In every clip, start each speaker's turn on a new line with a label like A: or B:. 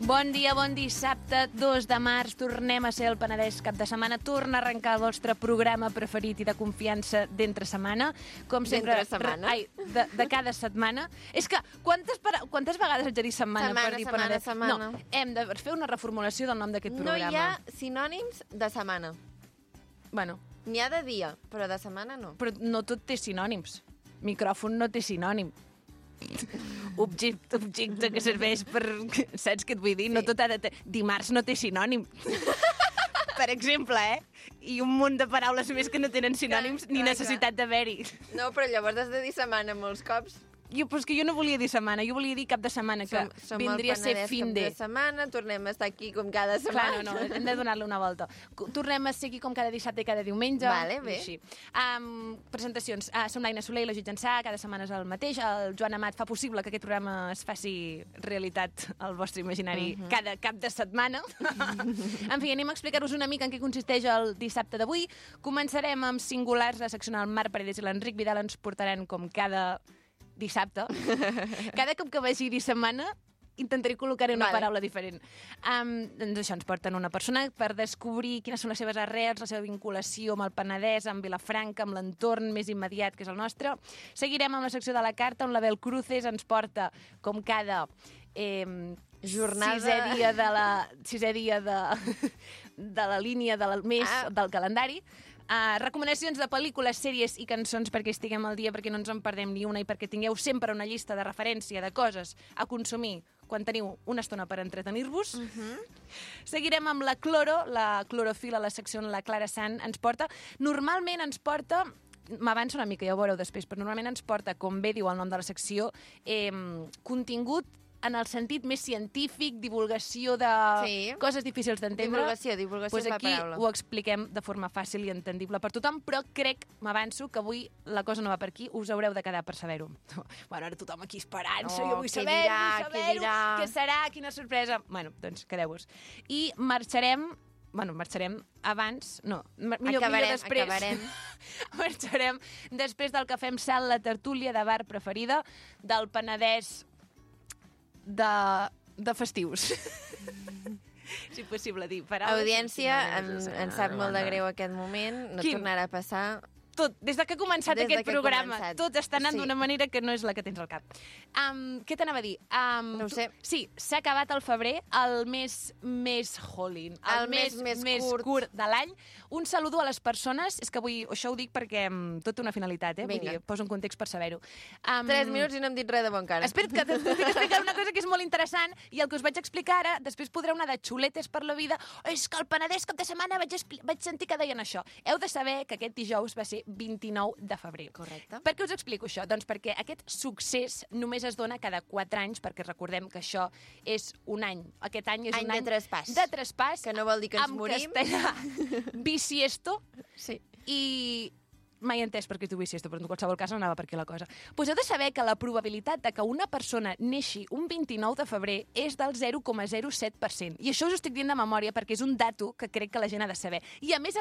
A: Bon dia, bon dissabte, 2 de març. Tornem a ser el Penedès cap de setmana. Torna a arrencar el vostre programa preferit i de confiança d'entre setmana. Com sempre,
B: d'entre setmana?
A: de cada setmana. És que quantes vegades haig de dir setmana per dir Penedès?
B: Setmana.
A: No, hem de fer una reformulació del nom d'aquest
B: No
A: programa.
B: hi ha sinònims de setmana.
A: Bueno,
B: N'hi ha de dia, però de setmana no.
A: però no tot té sinònims. Micròfon no té sinònim. Objecte que serveix per... Saps què et vull dir?
B: Sí.
A: No tot ha de... Dimarts no té sinònim. Per exemple, I un munt de paraules més que no tenen sinònims ni
B: clar.
A: necessitat d'haver-hi.
B: No, però llavors has de dir setmana molts cops.
A: Però és que jo no volia dir setmana, jo volia dir cap de setmana, que
B: Som
A: vindria a ser
B: el
A: fin
B: Penedès
A: de...
B: cap de setmana, tornem a estar aquí com cada setmana.
A: Clar, no, hem de donar-li una volta. Tornem a ser aquí com cada dissabte i cada diumenge.
B: Vale, bé.
A: I així. Presentacions. Som l'Aina Soler i la Judit Ensà, cada setmana és el mateix. El Joan Amat fa possible que aquest programa es faci realitat al vostre imaginari cada cap de setmana. En fi, anem a explicar-vos una mica en què consisteix el dissabte d'avui. Començarem amb singulars. La secció el Marc Paredes i l'Enric Vidal ens portaran com cada dissabte. Cada cop que vagi dir setmana intentaré col·locar una paraula diferent. Doncs això, ens porten una persona per descobrir quines són les seves arrels, la seva vinculació amb el Penedès, amb Vilafranca, amb l'entorn més immediat que és el nostre. Seguirem amb la secció de la carta, on l'Abel Cruces ens porta, com cada
B: jornada...
A: sisè dia de la línia del mes, del calendari. Recomanacions de pel·lícules, sèries i cançons perquè estiguem al dia, perquè no ens en perdem ni una i perquè tingueu sempre una llista de referència de coses a consumir quan teniu una estona per entretenir-vos. Seguirem amb la clorofila, la secció on la Clara Sant ens porta. Normalment ens porta... M'avanço una mica, ja ho veureu després, però normalment ens porta, com bé diu el nom de la secció, contingut en el sentit més científic, divulgació de coses difícils d'entendre.
B: Divulgació és la
A: aquí
B: paraula.
A: ho expliquem de forma fàcil i entendible per tothom, però m'avanço, que avui la cosa no va per aquí, us haureu de quedar per saber-ho. Bueno, ara tothom aquí esperant-se, jo vull saber-ho, què serà, quina sorpresa... Bueno, doncs quedeu-vos. I marxarem abans... No, millor després.
B: Acabarem.
A: Marxarem després del que fem salt, la tertúlia de bar preferida del Penedès de festius. Si possible dir paraules.
B: Audiència, em sap molt de greu aquest moment, no tornarà a passar...
A: Tot, des que ha començat aquest programa, tot està anant d'una manera que no és la que tens al cap. Què t'anava a dir?
B: No ho sé.
A: Sí, s'ha acabat el febrer, el mes més Halloween, el mes curt de l'any. Un saludo a les persones, és que avui això ho dic perquè tot té una finalitat, vull dir, poso un context per saber-ho.
B: 3 minuts i no hem dit res de bon cara.
A: Espera't, que t'estic explicant una cosa que és molt interessant i el que us vaig explicar ara, després podreu anar de xuletes per la vida. És que el Penedès cap de setmana vaig sentir que deien això. Heu de saber que aquest dijous va ser 29 de febrer.
B: Correcte.
A: Per què us explico això? Doncs perquè aquest succés només es dona cada 4 anys, perquè recordem que això és un any. Aquest any és un any
B: de traspàs.
A: De traspàs.
B: Que no vol dir que ens morim.
A: En castellà, bisiesto.
B: Sí.
A: I mai he entès per què tu bisiesto, però en qualsevol cas anava per aquí la cosa. Pues heu de saber que la probabilitat de que una persona neixi un 29 de febrer és del 0,07%. I això us ho estic dient de memòria perquè és un dato que crec que la gent ha de saber. I a més,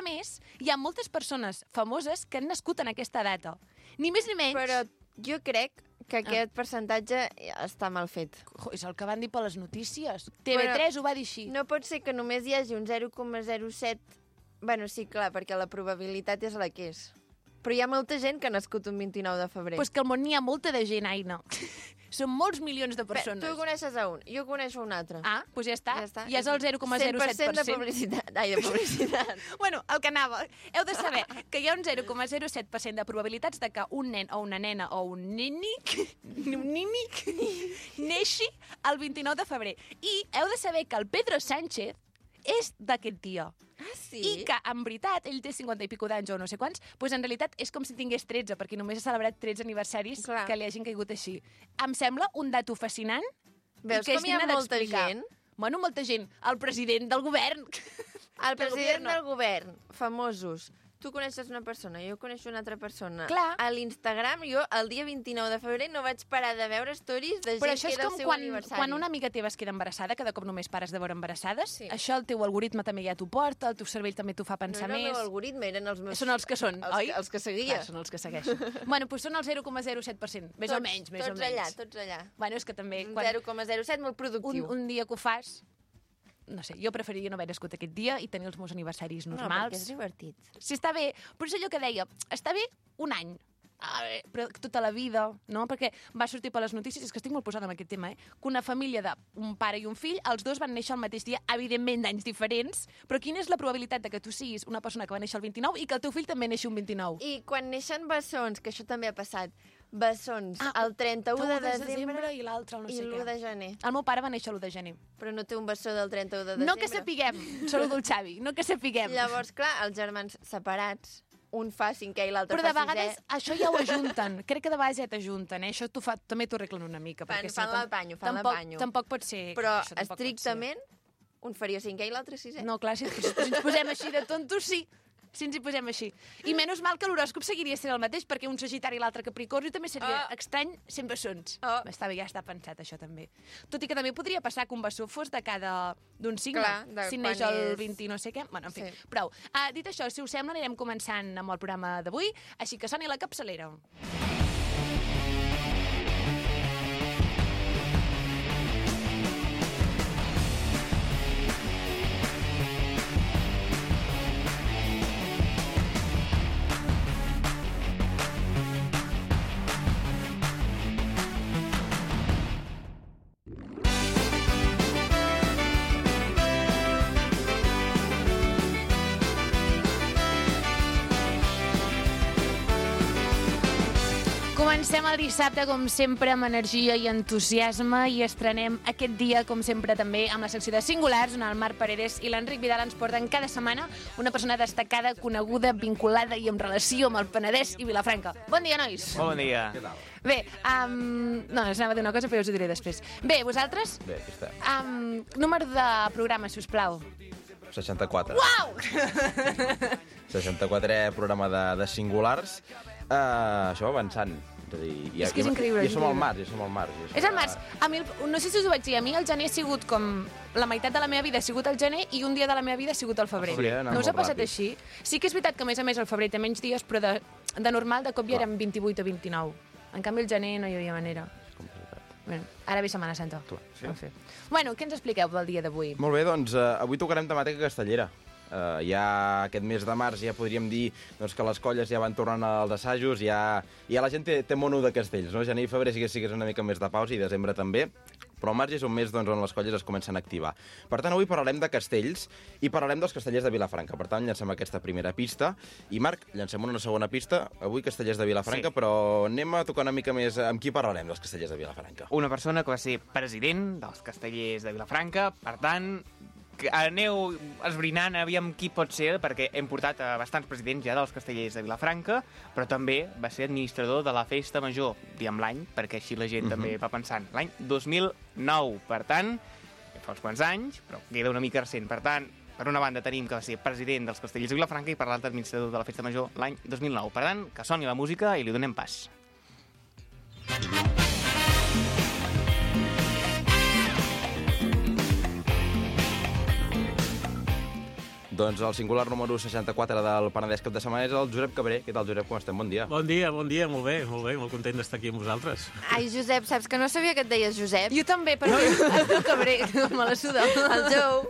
A: hi ha moltes persones famoses que han nascut en aquesta data. Ni més ni menys.
B: Però jo crec que aquest percentatge està mal fet.
A: És el que van dir per les notícies. TV3 ho va dir així.
B: No pot ser que només hi hagi un 0,07... Bueno, sí, clar, perquè la probabilitat és la que és. Però hi ha molta gent que ha nascut un 29 de febrer.
A: Pues que al món n'hi ha molta de gent, Aina. Són molts milions de persones.
B: Tu coneixes a un, jo coneixo un altre.
A: Doncs ja està. Ja és el 0,07%.
B: 100% de publicitat. Ai, de publicitat.
A: Bueno, el que anava. Heu de saber que hi ha un 0,07% de probabilitats de que un nen o una nena o un nínic neixi el 29 de febrer. I heu de saber que el Pedro Sánchez és d'aquest dia.
B: Sí?
A: I que, en veritat, ell té 50 i pico d'anys o no sé quants, doncs en realitat és com si tingués 13, perquè només ha celebrat 13 aniversaris que li hagin caigut així. Em sembla un dato fascinant.
B: Veus com hi ha molta gent?
A: Bueno, molta gent. El president del govern.
B: El president del govern. Famosos. Tu coneixes una persona, jo coneixo una altra persona.
A: Clar.
B: A l'Instagram, jo, el dia 29 de febrer, no vaig parar de veure stories de gent que era el seu aniversari.
A: Però això és com quan una amiga teva es queda embarassada, cada cop només pares de veure embarassades. Sí. Això el teu algoritme també ja t'ho porta, el teu cervell també t'ho fa pensar més.
B: No era el meu algoritme, eren els meus...
A: Són els que són, oi?
B: Els que seguia.
A: Clar, són els que segueixo. Bueno, doncs són el 0,07%, més o menys.
B: Tots allà.
A: Bueno, és que també...
B: 0,07, molt productiu.
A: Un dia que ho fas, no sé, jo preferiria no haver nascut aquest dia i tenir els meus aniversaris normals.
B: No, perquè és divertit.
A: Sí, està bé, però és allò que deia, està bé un any, però tota la vida, no? Perquè va sortir per les notícies, és que estic molt posada en aquest tema, que una família d'un pare i un fill, els dos van néixer al mateix dia, evidentment d'anys diferents, però quina és la probabilitat de que tu siguis una persona que va néixer el 29 i que el teu fill també neixi un 29?
B: I quan neixen bessons, que això també ha passat, bessons el 31 de desembre
A: i l'altre no sé
B: i l'1
A: què.
B: de gener.
A: El meu pare va néixer l'1 de gener.
B: Però no té un bessó del 31 de desembre.
A: No que sapiguem, saludo el Xavi, no que sapiguem.
B: Llavors, clar, els germans separats, un fa 5è i l'altre
A: Però
B: fa
A: de vegades
B: 6è.
A: això ja ho ajunten. Crec que de vegades ja t'ajunten, Això també t'ho arreglen una mica.
B: Fan l'apanyo.
A: Tampoc pot ser...
B: Però
A: això tampoc pot ser.
B: estrictament, un faria 5è i l'altre 6è.
A: No, clar, si ens posem així de tontos, sí. Si ens hi posem així. I menys mal que l'horòscop seguiria sent el mateix, perquè un Sagitari i l'altre Capricorni també seria estrany sent bessons. Està bé, ja està pensat, això també. Tot i que també podria passar que un bessó fos d'un signe.
B: Clar,
A: si neix el 20 no sé què. Bueno, en fi, prou. Dit això, si us sembla, anirem començant amb el programa d'avui, així que soni la capçalera. Comencem el dissabte, com sempre, amb energia i entusiasme i estrenem aquest dia, com sempre, també amb la secció de Singulars, on el Marc Paredes i l'Enric Vidal ens porten cada setmana una persona destacada, coneguda, vinculada i en relació amb el Penedès i Vilafranca. Bon dia, nois!
C: Bon dia.
D: Què tal?
A: Bé, no, us anava a dir una cosa, però us ho diré després. Bé, vosaltres?
D: Bé, aquí estem.
A: Número de programa, si us plau.
D: 64.
A: Uau!
D: 64è programa de Singulars. Això va avançant.
A: És que és increïble.
D: Ja som al març,
A: És al març. A mi, no sé si us ho vaig dir, a mi el gener ha sigut com... La meitat de la meva vida ha sigut el gener i un dia de la meva vida ha sigut el febrer. No us ha passat així? Sí que és veritat que, a més, el febrer té menys dies, però de normal, de cop ja érem 28 o 29. En canvi, el gener no hi havia manera. Bueno, ara ve Setmana Santa.
D: Sí.
A: Bueno, què ens expliqueu del dia d'avui?
D: Molt bé, doncs avui tocarem temàtica castellera. Ja aquest mes de març ja podríem dir que les colles ja van tornant als assajos, ja la gent té mono de castells, no? Gener i febrer sí que és una mica més de pausa i desembre també, però el març és un mes on les colles es comencen a activar. Per tant, avui parlarem de castells i parlarem dels castellers de Vilafranca. Per tant, llancem aquesta primera pista. I, Marc, llancem una segona pista. Avui castellers de Vilafranca, sí. Però anem a tocar una mica més amb qui parlarem dels castellers de Vilafranca.
C: Una persona que va ser president dels castellers de Vilafranca, per tant, aneu esbrinant aviam qui pot ser, perquè hem portat a bastants presidents ja dels castellers de Vilafranca, però també va ser administrador de la Festa Major, diem l'any, perquè així la gent també va pensant. L'any 2009, per tant, fa uns quants anys, però queda una mica recent. Per tant, per una banda tenim que va ser president dels castellers de Vilafranca i per l'altra administrador de la Festa Major l'any 2009. Per tant, que soni la música i li donem pas.
D: Doncs el singular número 64 del Penedès cap de setmana és el Josep Cabré. Què tal, Josep? Com estem? Bon dia.
E: Bon dia, molt bé, molt content d'estar aquí amb vosaltres.
B: Ai, Josep, saps que no sabia que et deies Josep?
A: Jo també, però el teu Cabré, me la suda.
B: El Jou.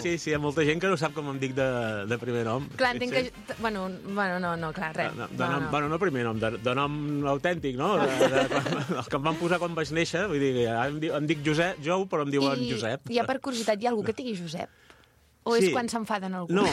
E: Sí, hi ha molta gent que no sap com em dic de primer nom.
A: Clar, entenc que... Bueno, no, clar, res.
E: Bueno, no primer nom, de nom autèntic, no? El que em van posar quan vaig néixer, vull dir, em dic Josep, Jou, però em diuen Josep.
A: I per curiositat, hi ha algú que et digui Josep? O és quan s'enfaden algú?
E: No.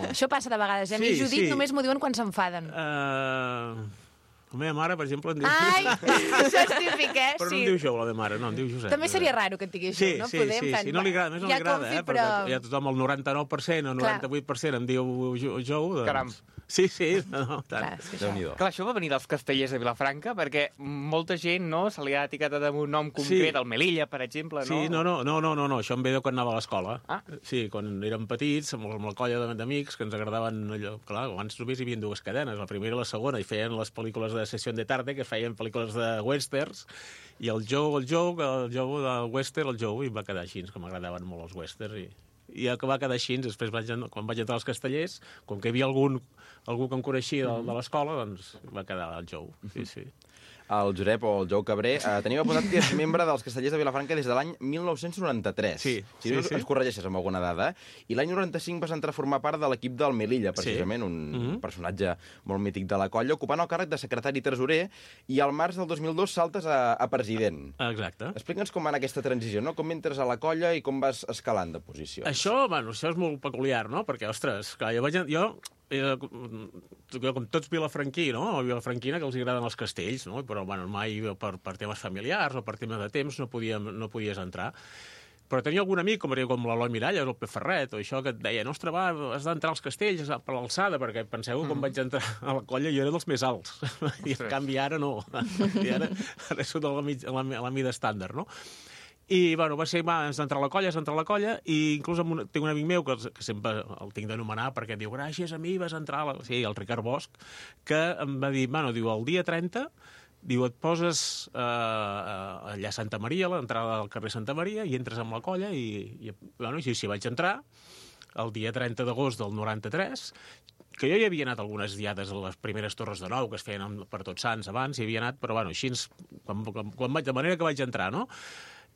A: Això passa de vegades. A mi Judit només m'ho diuen quan s'enfaden.
E: La meva mare, per exemple, em diu...
A: Ai, això és típic,
E: Però no em diu Jou, la meva mare, no, em diu Josep.
A: També seria raro que et digués Jou, no?
E: Sí, no li agrada, més no li agrada,
A: però...
E: Ja tothom, el 99% o 98% em diu Jou, doncs...
C: Caram.
E: Sí, no, tant.
D: Déu-n'hi-do.
C: Això va venir dels castellers de Vilafranca, perquè molta gent se li ha etiquetat amb un nom concret, el Melilla, per exemple, no?
E: Sí, no, això em ve de quan anava a l'escola.
C: Ah.
E: Sí, quan érem petits, amb la colla d'amics, que ens agradaven allò... Clar, abans només hi havia dues cadenes, la primera i la segona, i feien les pel·lícules de Sessió de Tarde, que feien pel·lícules de westerns, i el Jou del western, el Jou, i va quedar així, que m'agradaven molt els westerns, i que va quedar així, després quan vaig entrar als castellers, com que hi havia algú que em coneixia de l'escola, doncs va quedar el Jou, sí.
D: el Josep o el Jou Cabré, tenim apuntat que és membre dels Castellers de Vilafranca des de l'any 1993.
E: Sí,
D: Si no ens corregeixes amb alguna dada. I l'any 95 vas entrar a formar part de l'equip del Melilla, precisament, un personatge molt mític de la colla, ocupant el càrrec de secretari tresorer, i al març del 2002 saltes a president.
E: Exacte.
D: Explica'ns com va anar aquesta transició, no? Com entres a la colla i com vas escalant de posició.
E: Això és molt peculiar, no? Perquè, ostres, clar, jo com tots vilafranquí, no? O vilafranquina, que els agraden els castells, no? Però, bueno, mai per temes familiars o per temes de temps no podies entrar. Però tenia algun amic, com l'Eloi Miralles, el Pep Ferret, o això, que et deia, ostres, va, has d'entrar als castells per l'alçada, perquè penseu que quan vaig entrar a la colla jo era dels més alts. I en canvi ara no. I ara sóc a la mida estàndard, no? I, bueno, va ser, has d'entrar a la colla, i inclús tinc un amic meu, que sempre el tinc d'anomenar, perquè diu, gràcies a mi vas entrar Sí, el Ricard Bosch, que em va dir, bueno, diu, el dia 30, diu, et poses allà a Santa Maria, a l'entrada del carrer Santa Maria, i entres amb la colla, i bueno, així vaig entrar, el dia 30 d'agost del 93, que jo hi havia anat algunes diades a les primeres Torres de Nou, que es feien per Tots Sants abans, hi havia anat, però bueno, així, de manera que vaig entrar, no?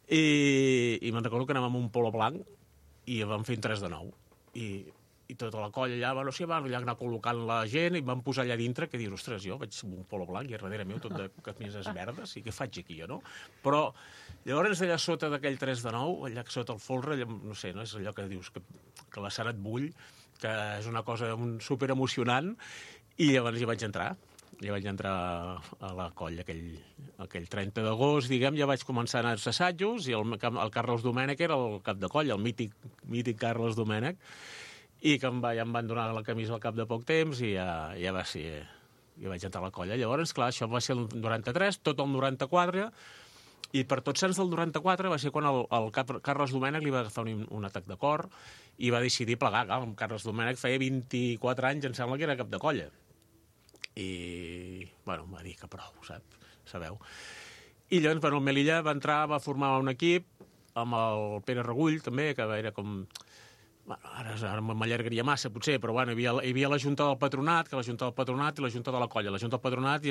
E: I me'n recordo que anàvem amb un polo blanc i vam fer un 3 de 9. I tota la colla allà, bueno, sí, van allà anar col·locant la gent i vam posar allà dintre que dius, ostres, jo vaig amb un polo blanc i a darrere meu tot de camises verdes i què faig aquí jo, no? Però llavors allà sota d'aquell 3 de 9, allà sota el folre, no sé, no és allò que dius que la sang et bull, que és una cosa super emocionant, i llavors hi vaig entrar. Ja vaig entrar a la colla aquell 30 d'agost, diguem, ja vaig començar a anar als assajos i el Carles Domènech era el cap de colla, el mític Carles Domènech, i que ja em van donar la camisa al cap de poc temps i ja va ser... Ja vaig entrar a la colla. Llavors, clar, això va ser el 93, tot el 94, i per Tots Sants del 94 va ser quan el Carles Domènech li va agafar un atac de cor i va decidir plegar. Clar, el Carles Domènech feia 24 anys, em sembla que era cap de colla. I, bueno, va dir que prou, sabeu? I llavors, bueno, el Melilla va formar un equip amb el Pere Regull, també, que era com... Bueno, ara m'allargaria massa, potser, però bueno, hi havia la Junta del Patronat, que la Junta del Patronat i la Junta de la Colla. La Junta del Patronat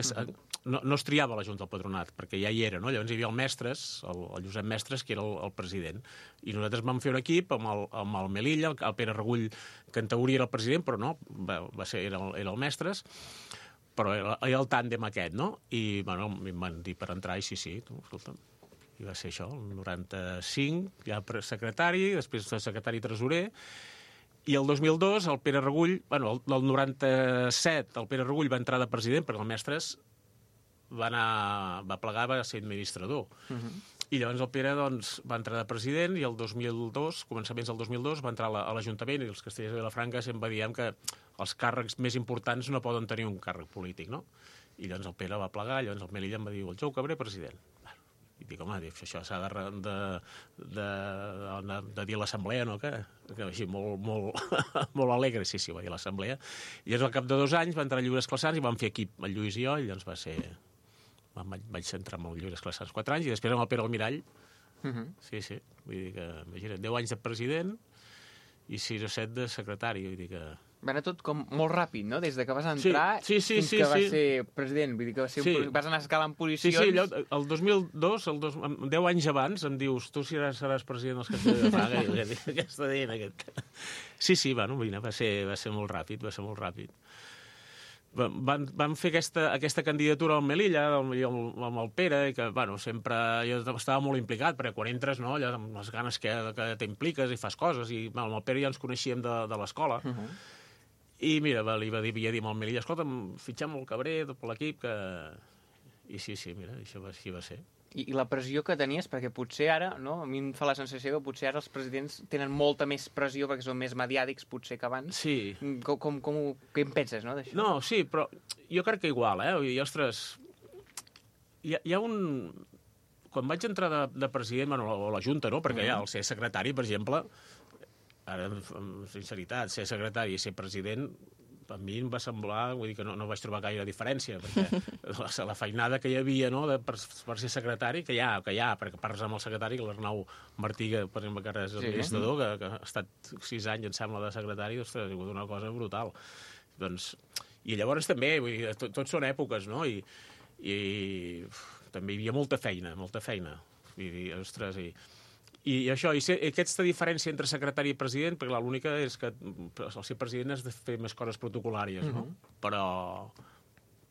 E: no es triava la Junta del Patronat, perquè ja hi era, no? Llavors hi havia el Mestres, el Josep Mestres, que era el president. I nosaltres vam fer un equip amb el Melilla, el Pere Regull, que en teoria era el president, però no, era el Mestres, però era el tàndem aquest, no? I, bueno, em van dir per entrar, i sí, escolta'm. I va ser això, el 95, ja secretari, després secretari tresorer, i el 2002 el Pere Regull, bueno, el 97 el Pere Regull va entrar de president perquè el Mestres va plegar, va ser administrador. I llavors el Pere doncs, va entrar de president i el 2002, començaments del 2002, va entrar a l'Ajuntament i els castellers de Vilafranca sempre diem que els càrrecs més importants no poden tenir un càrrec polític, no? I llavors el Pere va plegar, llavors el Melilla em va dir, el Jou Cabré, president. I dic, home, això s'ha de dir a l'assemblea, no? Que així molt alegre, sí, va dir a l'assemblea. I llavors al cap de 2 anys va entrar a Lliures Classans i vam fer equip el Lluís i jo, i llavors vaig entrar amb el Lliures Classans 4 anys i després amb el Pere Almirall. Sí, vull dir que, imagina't, 10 anys de president i 6 o 7 de secretari, vull dir que...
C: Va anar tot com molt ràpid, no? Des de que vas entrar fins que vas ser president. Vull dir que vas anar escalant posicions...
E: Sí, el 2002, 10 anys abans, em dius, tu seràs president dels Castellers de Fraga, i jo dic, què està dient aquest? Sí, bueno, va ser molt ràpid, Van fer aquesta candidatura al Melilla, amb el Pere, i que, bueno, sempre jo estava molt implicat, perquè quan entres, no, allò, amb les ganes que t'impliques i fas coses, i amb el Pere ja ens coneixíem de l'escola, i mira, havia dit amb el Melilla, escolta'm, fitxem el Cabré, tot l'equip, que... I sí, mira, això així va ser.
C: I la pressió que tenies, perquè potser ara, no? A mi em fa la sensació que potser ara els presidents tenen molta més pressió perquè són més mediàtics, potser, que abans.
E: Sí.
C: Què en penses, no, d'això?
E: No, sí, però jo crec que igual, I, ostres, hi ha un... Quan vaig entrar de president, bueno, o la Junta, no? Perquè ja, al ser secretari, per exemple, ara, amb sinceritat, ser secretari i ser president, a mi em va semblar, vull dir que no vaig trobar gaire diferència, perquè la feinada que hi havia, no, per ser secretari, que hi ha, perquè parles amb el secretari, l'Arnau Martí, que, per exemple, que ara és administrador, que ha estat 6 anys, em sembla, de secretari, ostres, ha sigut una cosa brutal. Doncs, i llavors també, vull dir, tot són èpoques, no? també hi havia molta feina. I, ostres, i això, aquesta diferència entre secretari i president, perquè l'única és que el ser president has de fer més coses protocolàries, no? Però,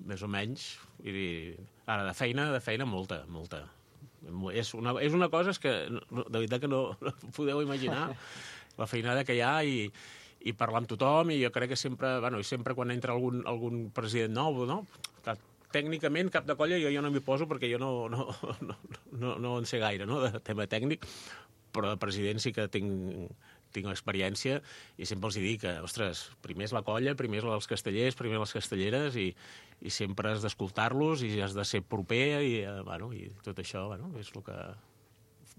E: més o menys, ara, de feina, molta. És una cosa que, de veritat que no podeu imaginar, la feinada que hi ha i parlar amb tothom, i jo crec que sempre quan entra algun president nou, no? Que tècnicament, cap de colla, jo no m'hi poso perquè jo no en sé gaire, no?, de tema tècnic, però de president sí que tinc experiència i sempre els dic que, ostres, primer és la colla, primer és els castellers, primer les castelleres i sempre has d'escoltar-los i has de ser proper i tot això és el que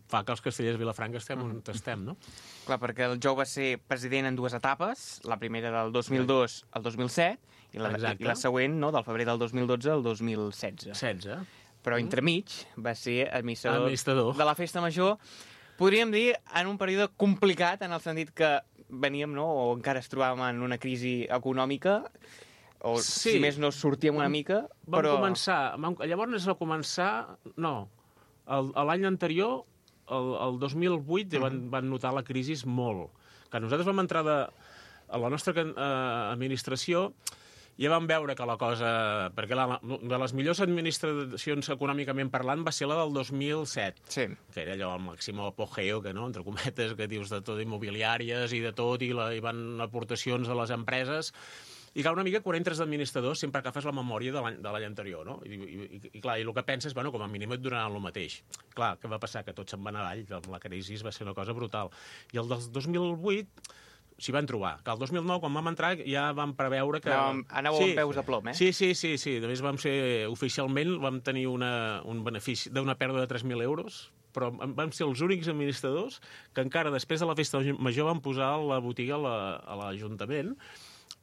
E: fa que els castellers de Vilafranca estem on estem, no?
C: Clar, perquè el Jou va ser president en 2 etapes, la primera del 2002 al 2007 i la següent, no?, del febrer del 2012 al 2016. Però entremig va ser administrador de la Festa Major, podríem dir, en un període complicat, en el sentit que veníem, no?, o encara es trobàvem en una crisi econòmica, o si més no sortíem una mica, però...
E: Llavors va començar... No, l'any anterior, el 2008, van notar la crisi molt. Que nosaltres vam entrar a la nostra administració, ja vam veure que la cosa... Perquè de les millors administracions econòmicament parlant va ser la del 2007, que era allò el màxim apogeo, que, no?, entre cometes, que dius de tot, immobiliàries i de tot, i van aportacions a les empreses, i clar, una mica quan entres d'administrador sempre agafes la memòria de l'any anterior, no? I clar, i el que penses, com a mínim et donaran el mateix. Clar, què va passar? Que tot se'n va anar avall, la crisi va ser una cosa brutal. I el del 2008... s'hi van trobar. Que el 2009, quan vam entrar, ja vam preveure que...
C: Anàveu amb peus a plom, eh?
E: Sí. A més, oficialment vam tenir un benefici d'una pèrdua de 3.000 euros, però vam ser els únics administradors que encara després de la Festa Major van posar la botiga a l'Ajuntament,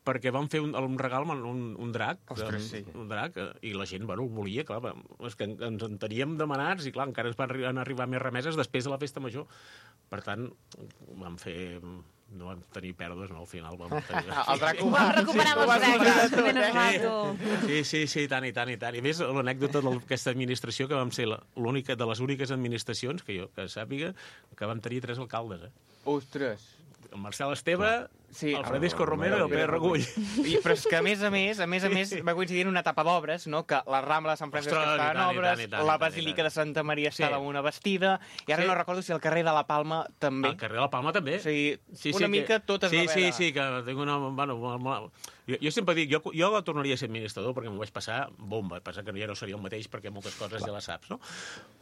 E: perquè van fer un regal amb un drac.
C: Ostres, sí.
E: Un drac, i la gent, ho volia, clar, és que ens en teníem demanats, i clar, encara ens van arribar més remeses després de la Festa Major. Per tant, vam fer... No vam tenir pèrdues, no, al final vam tenir...
C: El drac ho
A: vam recuperar amb els dracs. Ben normal,
E: Sí, tant. I a més, l'anècdota d'aquesta administració, que vam ser l'única de les úniques administracions, que jo sàpiga, que vam tenir 3 alcaldes,
C: Ostres!
E: El Marcel Esteve, el Francisco Romero i el Pere Regull.
C: Però és que, a més, va coincidir en una etapa d'obres, no?, que la Rambla de Sant Francesc estava en obres, la Basílica de Santa Maria estava en una bastida, i ara no recordo si el carrer de la Palma també.
E: El carrer de la Palma també.
C: O sigui, una mica tot es va veure.
E: Sí, que tinc una... Jo sempre dic, jo la tornaria a ser administrador perquè m'ho vaig passar bomba. Passa que ja no seria el mateix perquè moltes coses ja les saps, no?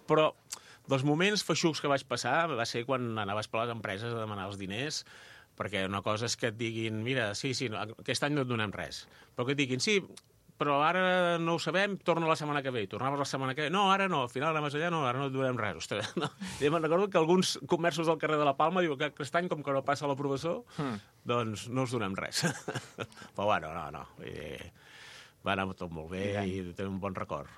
E: Però dels moments feixucs que vaig passar va ser quan anaves per les empreses a demanar els diners, perquè una cosa és que et diguin, mira, sí, aquest any no et donem res, però que et diguin, sí, però ara no ho sabem, torna la setmana que ve. Tornaves la setmana que ve. No, ara no, al final anaves allà, no, ara no et donem res. Ostres, no. I me'n recordo que alguns comerços del carrer de la Palma diuen que aquest any, com que no passa la professor, doncs no us donem res. Però bueno, no. Va anar tot molt bé i té un bon record.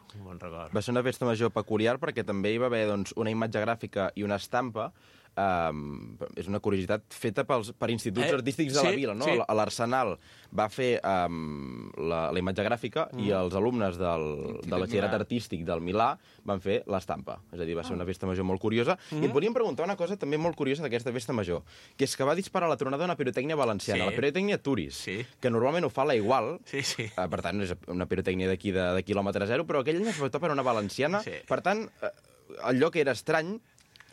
D: Va ser una festa major peculiar perquè també hi va haver una imatge gràfica i una estampa. És una curiositat feta per instituts artístics de la vila, no? L'Arsenal va fer la imatge gràfica i els alumnes del batxillerat artístic del Milà van fer l'estampa. És a dir, va ser una festa major molt curiosa. I et volíem preguntar una cosa també molt curiosa d'aquesta festa major, que és que va disparar la tronada una pirotècnia valenciana, la pirotècnia Turis, que normalment ho fa la Igual, per tant és una pirotècnia d'aquí de quilòmetre zero, però aquell any es va optar per una valenciana. Per tant, el lloc era estrany.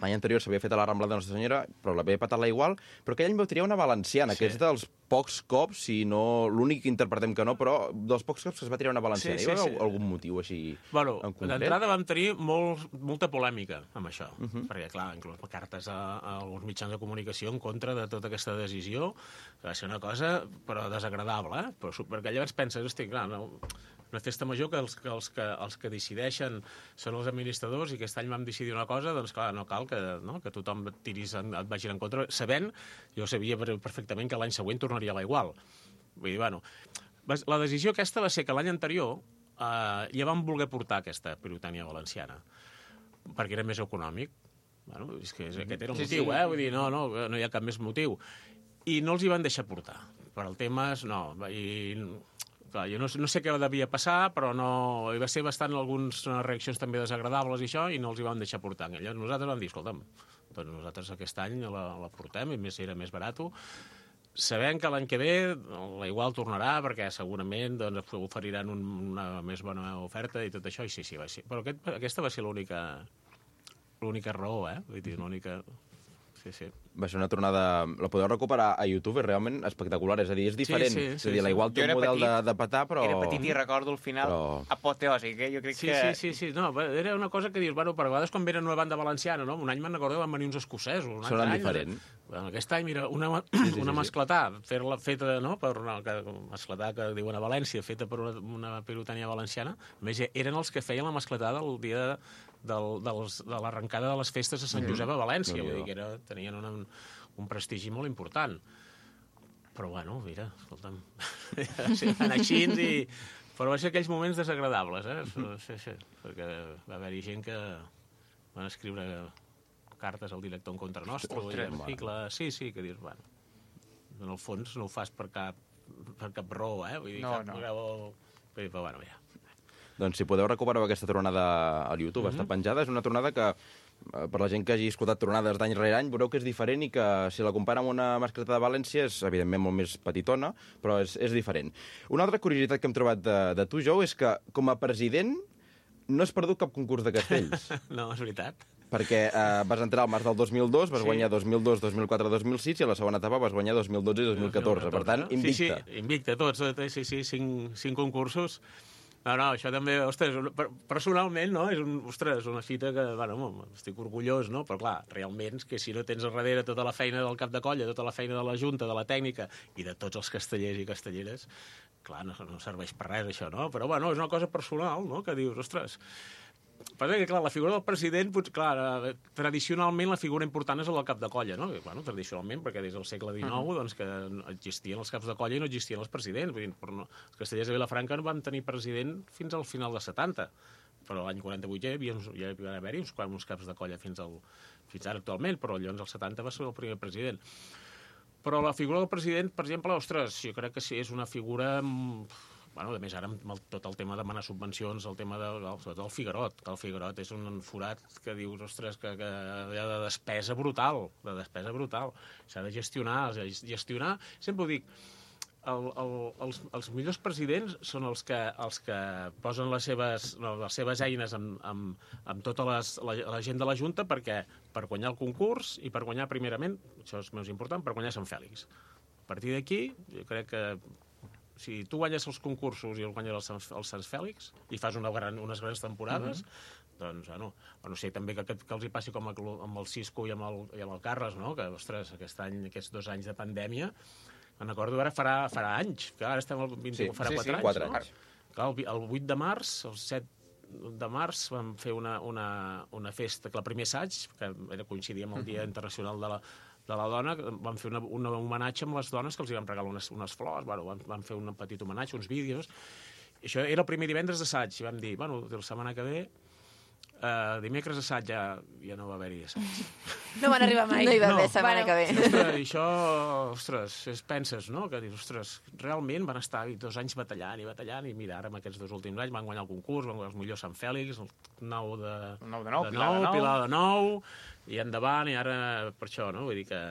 D: L'any anterior s'havia fet a la Rambla de Nostra Senyora, però l'havia patat la Igual, però aquell any vau triar una valenciana, que és dels pocs cops, si no l'únic que interpretem que no, però dels pocs cops que es va triar una valenciana. Hi va haver algun motiu així en concret?
E: D'entrada vam tenir molta polèmica amb això, perquè, clar, inclús cartes a alguns mitjans de comunicació en contra de tota aquesta decisió, que va ser una cosa, però desagradable, perquè llavors penses, hosti, clar, una festa major que els que decideixen són els administradors i aquest any vam decidir una cosa, doncs clar, no cal que tothom et vagi en contra, sabent, jo sabia perfectament que l'any següent tornaria a la Igual. Vull dir, la decisió aquesta va ser que l'any anterior ja vam voler portar aquesta pirotècnia valenciana, perquè era més econòmic. És que aquest era el motiu, vull dir, no hi ha cap més motiu. I no els hi van deixar portar. Per al tema, no. I Clar, jo no sé què devia passar, però no... Hi va ser bastant algunes reaccions també desagradables i això, i no els hi vam deixar portar. I llavors nosaltres vam dir, escolta'm, doncs nosaltres aquest any la portem, i més era més barat. Sabem que l'any que ve la igual tornarà, perquè segurament doncs, oferiran una més bona oferta i tot això, i sí, va ser. Però aquesta va ser l'única raó, Vull dir, l'única... Sí.
D: Va ser una tornada... La podeu recuperar a YouTube, és realment espectacular. És a dir, és diferent.
E: Sí.
D: És a dir, igual té un model de petar, però...
C: Era petit i recordo el final apoteòsic, Jo crec que...
E: Sí. No, era una cosa que dius, bueno, per vegades quan venen una banda valenciana, no? Un any me'n recordo que van venir uns escocesos.
D: Sonen diferent.
E: Bueno, aquest any, mira, una mascletà, feta, no?, per una mascletà que diuen a València, feta per una pirotènia valenciana. A més, eren els que feien la mascletà del dia de l'arrencada de les festes a Sant Josep a València. Vull dir que tenien un prestigi molt important. Però, bueno, mira, escolta'm, van així Però va ser aquells moments desagradables, Sí, perquè va haver-hi gent que van escriure cartes al director en contra nostre, i articles... Sí, que dius, bueno, en el fons no ho fas per cap raó, Vull dir, cap raó... Però, bueno, ja.
D: Doncs si podeu recuperar aquesta tronada al YouTube, està penjada. És una tronada que, per la gent que hagi escoltat tronades d'any rere any, veureu que és diferent i que, si la compara amb una mascleta de València, és, evidentment, molt més petitona, però és diferent. Una altra curiositat que hem trobat de tu, Jou, és que, com a president, no has perdut cap concurs de castells.
E: No, és veritat.
D: Perquè vas entrar al març del 2002, vas guanyar 2002, 2004, 2006, i a la segona etapa vas guanyar 2012 i 2014. Per tant, invicte.
E: Sí, invicte, tots. Sí, 5 concursos. No, això també, ostres, personalment, no? És una fita que, bueno, estic orgullós, no? Però, clar, realment, que si no tens al darrere tota la feina del cap de colla, tota la feina de la Junta, de la tècnica i de tots els castellers i castelleres, clar, no serveix per res, això, no? Però, bueno, és una cosa personal, no?, que dius, ostres... Però que, clar, la figura del president, clar, tradicionalment la figura important és el del cap de colla, no? Bueno, tradicionalment, perquè des del segle XIX doncs, que existien els caps de colla i no existien els presidents. Vull dir, els castellers de Vilafranca no van tenir president fins al final dels 70, però l'any 48 ja va haver-hi uns caps de colla fins ara actualment, però llavors als 70 va ser el primer president. Però la figura del president, per exemple, ostres, jo crec que sí, és una figura... Bueno, a més, ara amb tot el tema de demanar subvencions, el tema sobretot el Figuerot, que el Figuerot és un forat que dius, ostres, que hi ha de despesa brutal, S'ha de gestionar. Sempre ho dic, els millors presidents són els que posen les seves eines amb tota la gent de la Junta per guanyar el concurs i per guanyar, primerament, això és més important, per guanyar Sant Fèlix. A partir d'aquí, jo crec que si tu guanyes els concursos i els guanyes els Sant Fèlix i fas unes grans temporades, doncs, bueno, no sé també que els hi passi com amb el Cisco i amb el Carles, no? Que, ostres, aquests 2 anys de pandèmia, me'n recordo ara farà anys, que ara estem al 21, farà 4 anys, no? Clar, el 8 de març, el 7 de març, vam fer una festa, el primer assaig, que coincidia amb el Dia Internacional de la Dona, vam fer un homenatge amb les dones que els hi vam regalar unes flors, vam fer un petit homenatge, uns vídeos. I això era el primer divendres d'assaig, i vam dir, bueno, la setmana que ve, dimecres assaig ja no va haver-hi assaig.
A: No van arribar mai.
B: No hi va haver setmana que ve.
E: Ostres, i això, penses, no? Que dius, ostres, realment van estar 2 anys batallant, i mira, ara amb aquests 2 últims anys van guanyar el concurs, van guanyar els millors Sant Fèlix, el 9 de 9, Pilar de 9, i endavant, i ara per això, no? Vull dir que...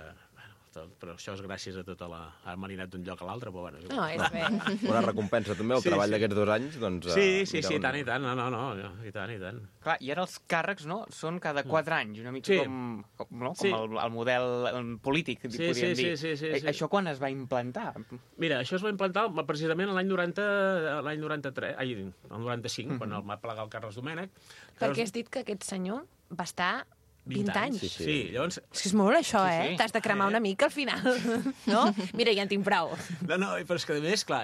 E: Però això és gràcies a tota la... Ara m'han anat d'un lloc a l'altre, però bueno...
A: No, és bé.
D: Una recompensa també, el treball d'aquests 2 anys, doncs...
E: Sí, i tant, i tant, i tant.
C: Clar, i ara els càrrecs, no?, són cada 4 anys, una mica com el model polític, podríem dir.
E: Sí.
C: Això quan es va implantar?
E: Mira, això es va implantar precisament l'any 93, el 95, quan el va plegar el Carles Domènech.
A: Perquè has dit que aquest senyor va estar 20 anys.
E: Sí, llavors...
A: És que és molt això, eh? T'has de cremar una mica al final, no? Mira, ja en tinc prou.
E: No, però és que a més, clar,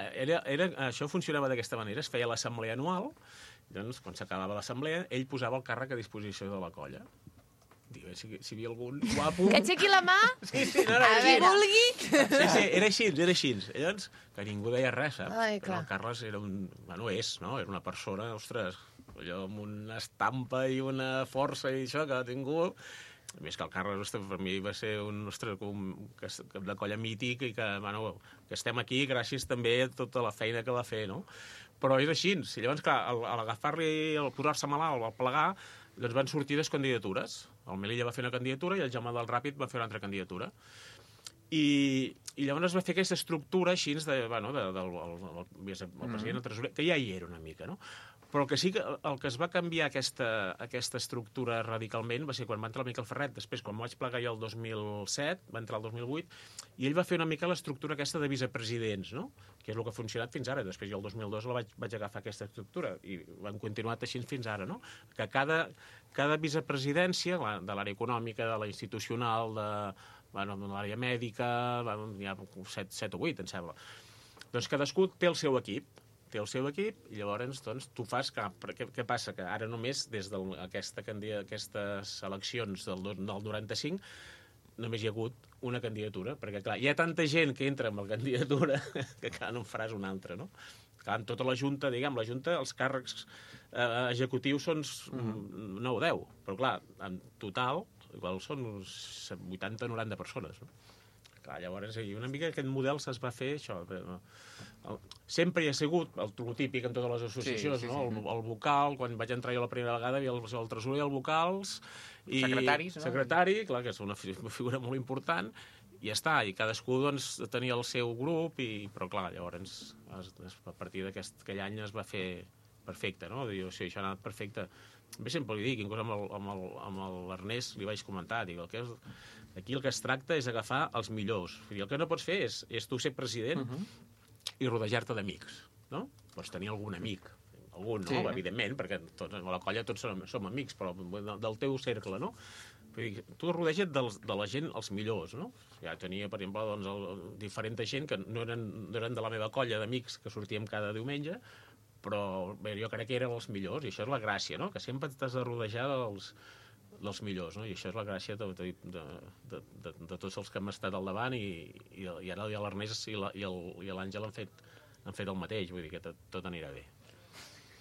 E: això funcionava d'aquesta manera, es feia l'assemblea anual, doncs quan s'acabava l'assemblea, ell posava el càrrec a disposició de la colla. Digue, si hi havia algun guapo...
A: Que aixequi la mà,
E: qui
A: vulgui.
E: Sí, era així. Llavors, que ningú deia res, saps?
A: Ai,
E: però el Carles era era una persona, ostres, allò amb una estampa i una força i això que ha tingut, A més que el Carles per mi va ser un cap de colla mític i que, bueno, que estem aquí gràcies també a tota la feina que va fer, no? Però és així. I llavors, clar, a l'agafar-li, al posar-se malalt, al plegar, doncs van sortir les candidatures. El Melilla va fer una candidatura i el Jaume del Ràpid va fer una altra candidatura. I llavors es va fer aquesta estructura així del president, el tresorer, que ja hi era una mica, no? Però el que sí que el que es va canviar aquesta estructura radicalment va ser quan va entrar el Miquel Ferret. Després, quan vaig plegar jo el 2007, va entrar el 2008, i ell va fer una mica l'estructura aquesta de vicepresidents, no? Que és el que ha funcionat fins ara. Després jo el 2002 vaig agafar aquesta estructura i han continuat així fins ara, no? Que cada vicepresidència, de l'àrea econòmica, de la institucional, de l'àrea mèdica, hi ha 7 o 8, em sembla. Doncs cadascú té el seu equip, i llavors doncs, tu fas... Què passa? Que ara només, des d'aquestes eleccions del 95, només hi ha hagut una candidatura, perquè, clar, hi ha tanta gent que entra amb la candidatura que, clar, no en faràs una altra, no? Clar, en tota la Junta, la Junta, els càrrecs executius són 9 o 10, però, clar, en total, igual són 80-90 persones, no? Clar, llavors, una mica aquest model es va fer això. Sempre hi ha sigut el típic en totes les associacions, no? El vocal, quan vaig entrar jo la primera vegada, hi havia el tresorer, el vocals...
C: Secretaris, no?
E: Secretari, clar, que és una figura molt important, i ja està, i cadascú doncs, tenia el seu grup, però clar, llavors, a partir d'aquell any es va fer perfecte, no? Diu, sí, això ha anat perfecte. Bé, sempre li dic, inclús amb l'Ernest li vaig comentar, dic, aquí el que es tracta és agafar els millors. Vull dir, el que no pots fer és tu ser president i rodejar-te d'amics, no? Pots tenir algun amic, algun, no? Evidentment, perquè a la colla tots som amics, però del teu cercle, no? Tu rodeja't de la gent, els millors, no? Ja tenia, per exemple, doncs, diferent gent que no eren de la meva colla d'amics que sortíem cada diumenge, però bé, jo crec que eren els millors, i això és la gràcia, no? Que sempre t'has de rodejar dels millors, no? I això és la gràcia de tots els que hem estat al davant, i ara l'Ernest i l'Àngel han fet el mateix, vull dir que tot anirà bé.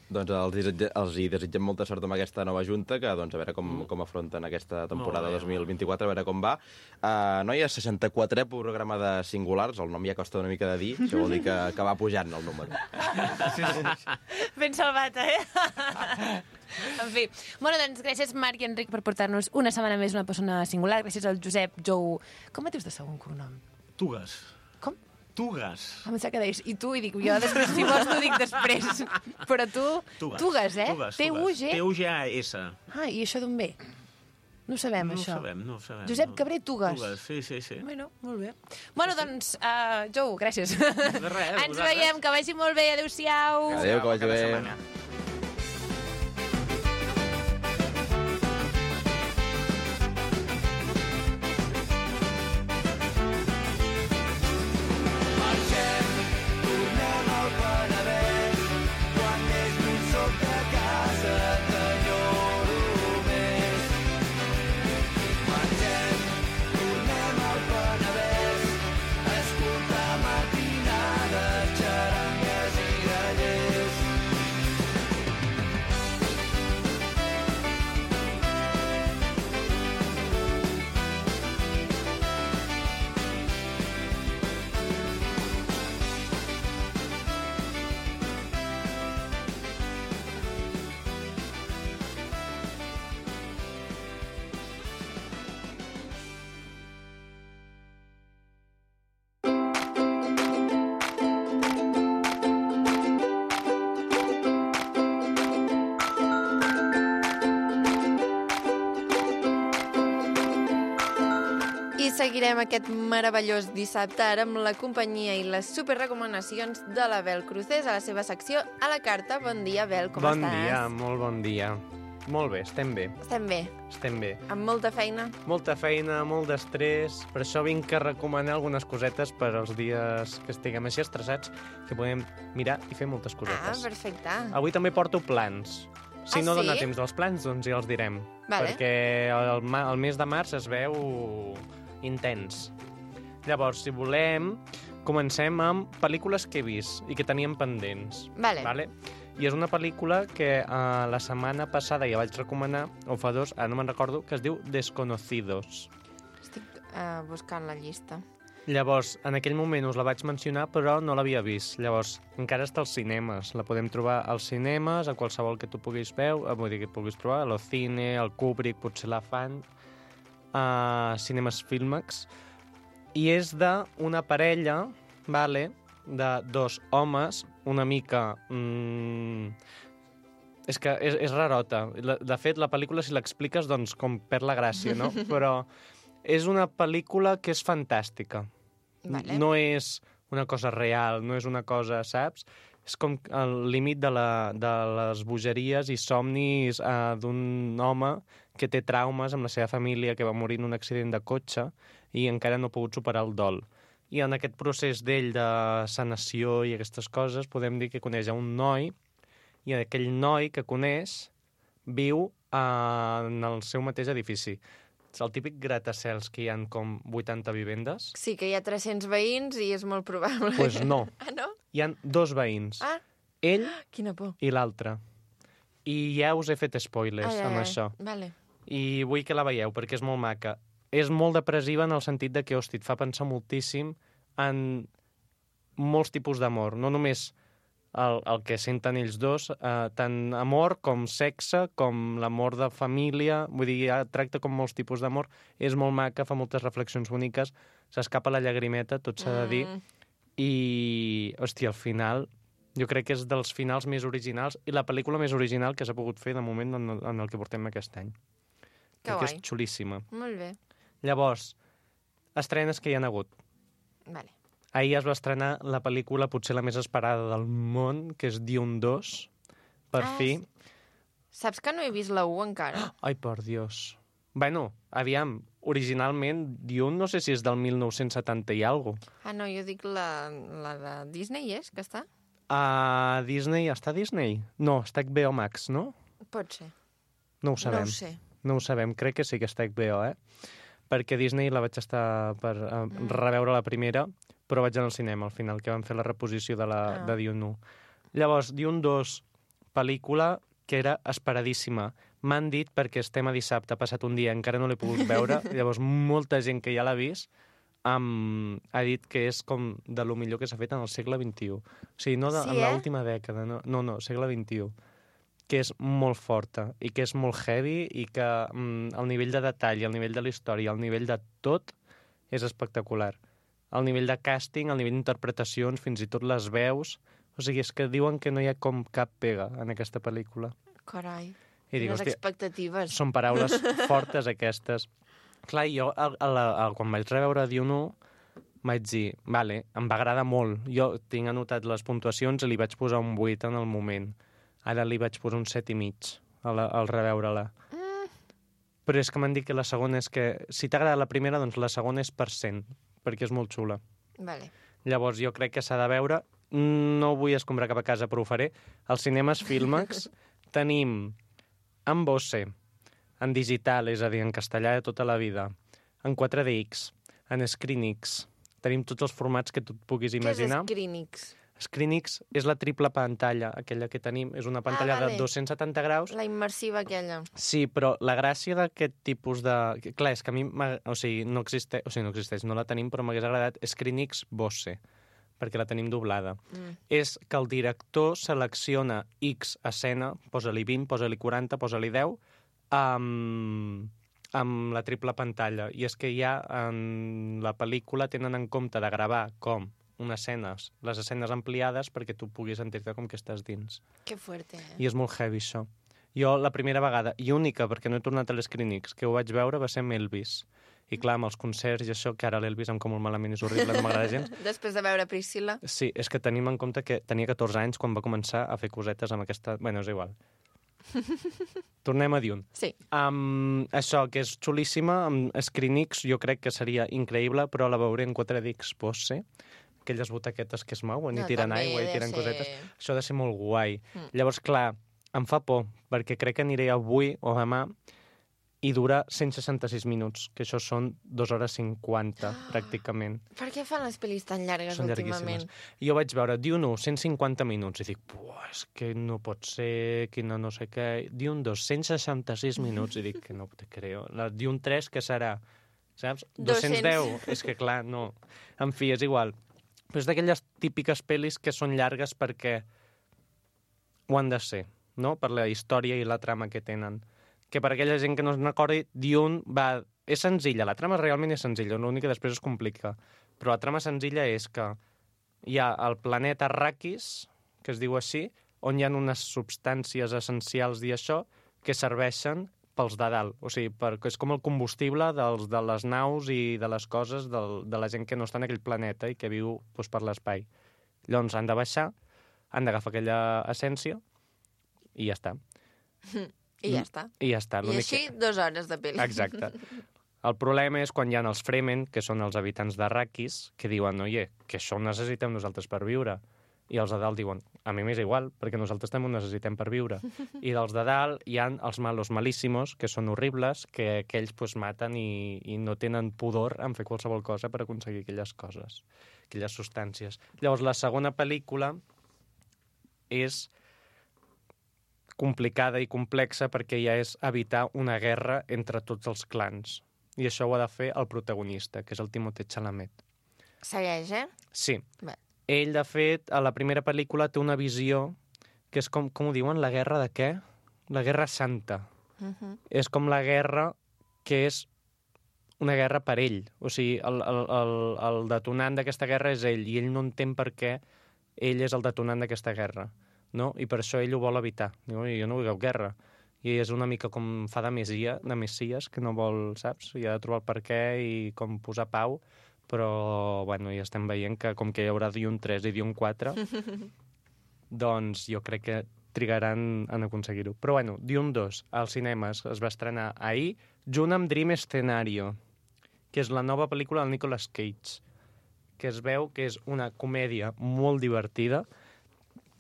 D: Doncs els hi desitgem molta sort amb aquesta nova junta, que doncs, a veure com afronten aquesta temporada 2024, a veure com va. Noies, 64è programa de Singulars, el nom ja costa una mica de dir, això vol dir que va pujant el número.
A: Ben salvat, En fi. Bueno, doncs gràcies, Marc i Enric, per portar-nos una setmana més una persona singular. Gràcies al Josep Jou... Com et dius de segon cognom?
E: Tugas.
A: Com?
E: Tugas.
A: Em sembla que deies, i tu, i dic, jo després, si vols, t'ho dic després. Però tu, Tugas, T-U-G...
E: T-U-G-A-S.
A: I això d'on ve? No ho sabem, això.
E: No ho sabem.
A: Josep Cabré Tugas.
E: Sí.
A: Bueno, molt bé. Bueno, doncs, Jou, gràcies.
E: De res,
A: ens veiem, que vagi molt bé. Adéu-siau.
D: Adéu, que vagi bé.
B: Seguirem aquest meravellós dissabte ara amb la companyia i les superrecomanacions de la Bel Crucés a la seva secció A la Carta. Bon dia, Bel, com estàs?
F: Bon dia, molt bon dia. Molt bé, estem bé.
B: Estem bé. Amb molta feina?
F: Molta feina, molt d'estrès. Per això vinc a recomanar algunes cosetes per als dies que estiguem així estressats, que podem mirar i fer moltes cosetes.
B: Perfecte.
F: Avui també porto plans. Si no dona temps dels plans, doncs ja els direm.
B: Vale.
F: Perquè el mes de març es veu intens. Llavors, si volem, comencem amb pel·lícules que he vist i que teníem pendents.
B: Vale.
F: I és una pel·lícula que la setmana passada ja vaig recomanar, o fa 2, ara no me'n recordo, que es diu Desconocidos.
B: Estic buscant la llista.
F: Llavors, en aquell moment us la vaig mencionar, però no l'havia vist. Llavors, encara està als cinemes. La podem trobar als cinemes, a qualsevol que tu puguis veure, vull dir que puguis trobar, a l'Ocine, al Kubrick, potser la fan, a Cinemes Filmex. I és d'una parella, de 2 homes, una mica... És que és rarota. De fet, la pel·lícula, si l'expliques, doncs com perd la gràcia, no? Però és una pel·lícula que és fantàstica.
B: Vale.
F: No és una cosa real, no és una cosa, saps? És com el límit de les bogeries i somnis d'un home que té traumes amb la seva família, que va morir en un accident de cotxe i encara no ha pogut superar el dol. I en aquest procés d'ell de sanació i aquestes coses podem dir que coneix a un noi i aquell noi que coneix viu en el seu mateix edifici. És el típic gratacels que hi ha com 80 vivendes.
B: Sí, que hi ha 300 veïns i és molt probable.
F: Doncs pues no.
B: Ah, no?
F: Hi ha 2 veïns.
B: Ah.
F: Ell
B: Quina por.
F: i l'altre. I ja us he fet spoilers amb això.
B: Vale.
F: I vull que la veieu, perquè és molt maca. És molt depressiva en el sentit de que, hosti, et fa pensar moltíssim en molts tipus d'amor. No només el que senten ells dos, tant amor com sexe, com l'amor de família, vull dir, ja tracta com molts tipus d'amor, és molt maca, fa moltes reflexions boniques, s'escapa la llagrimeta, tot s'ha de dir, i, hòstia, al final, jo crec que és dels finals més originals, i la pel·lícula més original que s'ha pogut fer de moment en el que portem aquest any.
B: Que
F: guai.
B: és
F: xulíssima.
B: Molt bé.
F: Llavors, estrenes que hi ha hagut.
B: Vale.
F: Ahir es va estrenar la pel·lícula potser la més esperada del món, que és Dune 2, per fi.
B: Saps que no he vist la 1 encara?
F: Ai, per Dios. Bueno, aviam, originalment Dune no sé si és del 1970 i alguna cosa.
B: Ah, no, jo dic la de Disney, és, que està?
F: A Disney, està a Disney? No, està a HBO Max, no?
B: Pot ser.
F: No ho sabem.
B: No ho sé.
F: No ho sabem, crec que sí que està a HBO, Perquè Disney la vaig estar per reveure la primera, però vaig anar al cinema al final, que van fer la reposició de Dune 1. Llavors, Dune 2, pel·lícula que era esperadíssima. M'han dit, perquè estem a dissabte, ha passat un dia, encara no l'he pogut veure, llavors molta gent que ja l'ha vist ha dit que és com de lo millor que s'ha fet en el segle XXI. O sigui, no en l'última dècada, no, segle XXI. Que és molt forta i que és molt heavy i que el nivell de detall, el nivell de la història, el nivell de tot és espectacular. El nivell de càsting, el nivell d'interpretacions, fins i tot les veus... O sigui, és que diuen que no hi ha com cap pega en aquesta pel·lícula.
B: Carai,
F: quines
B: expectatives.
F: Són paraules fortes, aquestes. Clar, jo, quan vaig reveure Dune 1, vaig dir, vale, em va agradar molt. Jo tinc anotat les puntuacions i li vaig posar un 8 en el moment. Ara li vaig posar un 7,5 al reveure-la. Però és que m'han dit que la segona és que... Si t'ha agradat la primera, doncs la segona és per 100, perquè és molt xula.
B: Vale.
F: Llavors jo crec que s'ha de veure. No vull escombrar cap a casa, però ho faré. Als cinemes Filmex tenim en Bosse, en digital, és a dir, en castellà de tota la vida, en 4DX, en ScreenX. Tenim tots els formats que tu et puguis imaginar.
B: Què és ScreenX?
F: ScreenX és la triple pantalla, aquella que tenim. És una pantalla de 270 graus.
B: La immersiva aquella.
F: Sí, però la gràcia d'aquest tipus de... Clar, és que a mi... O sigui, no existeix, no la tenim, però m'hagués agradat ScreenX Bosse, perquè la tenim doblada. És que el director selecciona X escena, posa-li 20, posa-li 40, posa-li 10, amb la triple pantalla. I és que ja en la pel·lícula tenen en compte de gravar com les escenes ampliades perquè tu puguis sentir-te com que estàs dins.
B: Que fuerte,
F: I és molt heavy, això. Jo, la primera vegada, i única, perquè no he tornat a l'ScreenX, que ho vaig veure va ser amb Elvis. I clar, amb els concerts i això, que ara l'Elvis em com molt malament, és horrible, no m'agrada gens.
B: Després de veure Priscilla.
F: Sí, és que tenim en compte que tenia 14 anys quan va començar a fer cosetes amb aquesta... Bueno, és igual. Tornem a Dune.
B: Sí.
F: Això, que és xulíssima, amb ScreenX jo crec que seria increïble, però la veuré en 4DX Bosse, aquelles butaquetes que es mouen i tiren aigua i tiren cosetes. Això ha de ser molt guai. Llavors, clar, em fa por, perquè crec que aniré avui o demà i dura 166 minuts, que això són 2 hores 50, pràcticament.
B: Per què fan les pel·lis tan llargues
F: Són
B: últimament?
F: llarguíssimes. Jo vaig veure Dune 1, 150 minuts, i dic, és que no pot ser, quina no sé què... Dune 2, 166 minuts, i dic, que no te creo. La Dune 3, què serà? Saps? 210. És que, clar, no. En fi, és igual. Però és d'aquelles típiques pel·lis que són llargues perquè ho han de ser, no? Per la història i la trama que tenen. Que per aquella gent que no se'n recordi, Dune és senzilla, la trama realment és senzilla, l'únic que després es complica. Però la trama senzilla és que hi ha el planeta Arrakis, que es diu així, on hi ha unes substàncies essencials i això que serveixen pels de dalt. O sigui, és com el combustible de les naus i de les coses de la gent que no està en aquell planeta i que viu doncs, per l'espai. Llavors han de baixar, han d'agafar aquella essència i ja està.
B: I ja està.
F: I ja està.
B: I així 2 hores de pel·li.
F: Exacte. El problema és quan hi ha els Fremen, que són els habitants d'Arrakis, que diuen, oye, que això ho necessitem nosaltres per viure. I els de dalt diuen, a mi m'és igual, perquè nosaltres també ho necessitem per viure. I dels de dalt hi ha els malos malíssimos, que són horribles, que aquells pues, maten i no tenen pudor en fer qualsevol cosa per aconseguir aquelles coses, aquelles substàncies. Llavors, la segona pel·lícula és complicada i complexa perquè ja és evitar una guerra entre tots els clans. I això ho ha de fer el protagonista, que és el Timothée Chalamet.
B: Segueix,
F: Sí.
B: Bé.
F: Ell, de fet, a la primera pel·lícula té una visió que és com ho diuen, la guerra de què? La guerra santa. És com la guerra que és una guerra per ell. O sigui, el detonant d'aquesta guerra és ell, i ell no entén per què ell és el detonant d'aquesta guerra. No? I per això ell ho vol evitar. Diu, jo no vull cap guerra. I és una mica com fa de Messies, que no vol, saps? I ha de trobar el per què i com posar pau, però, bueno, ja estem veient que com que hi haurà Dune 3 i Dune 4, doncs jo crec que trigaran en aconseguir-ho. Però, bueno, Dune 2, als cinemes, es va estrenar ahir, junt amb Dream Scenario, que és la nova pel·lícula del Nicolas Cage, que es veu que és una comèdia molt divertida,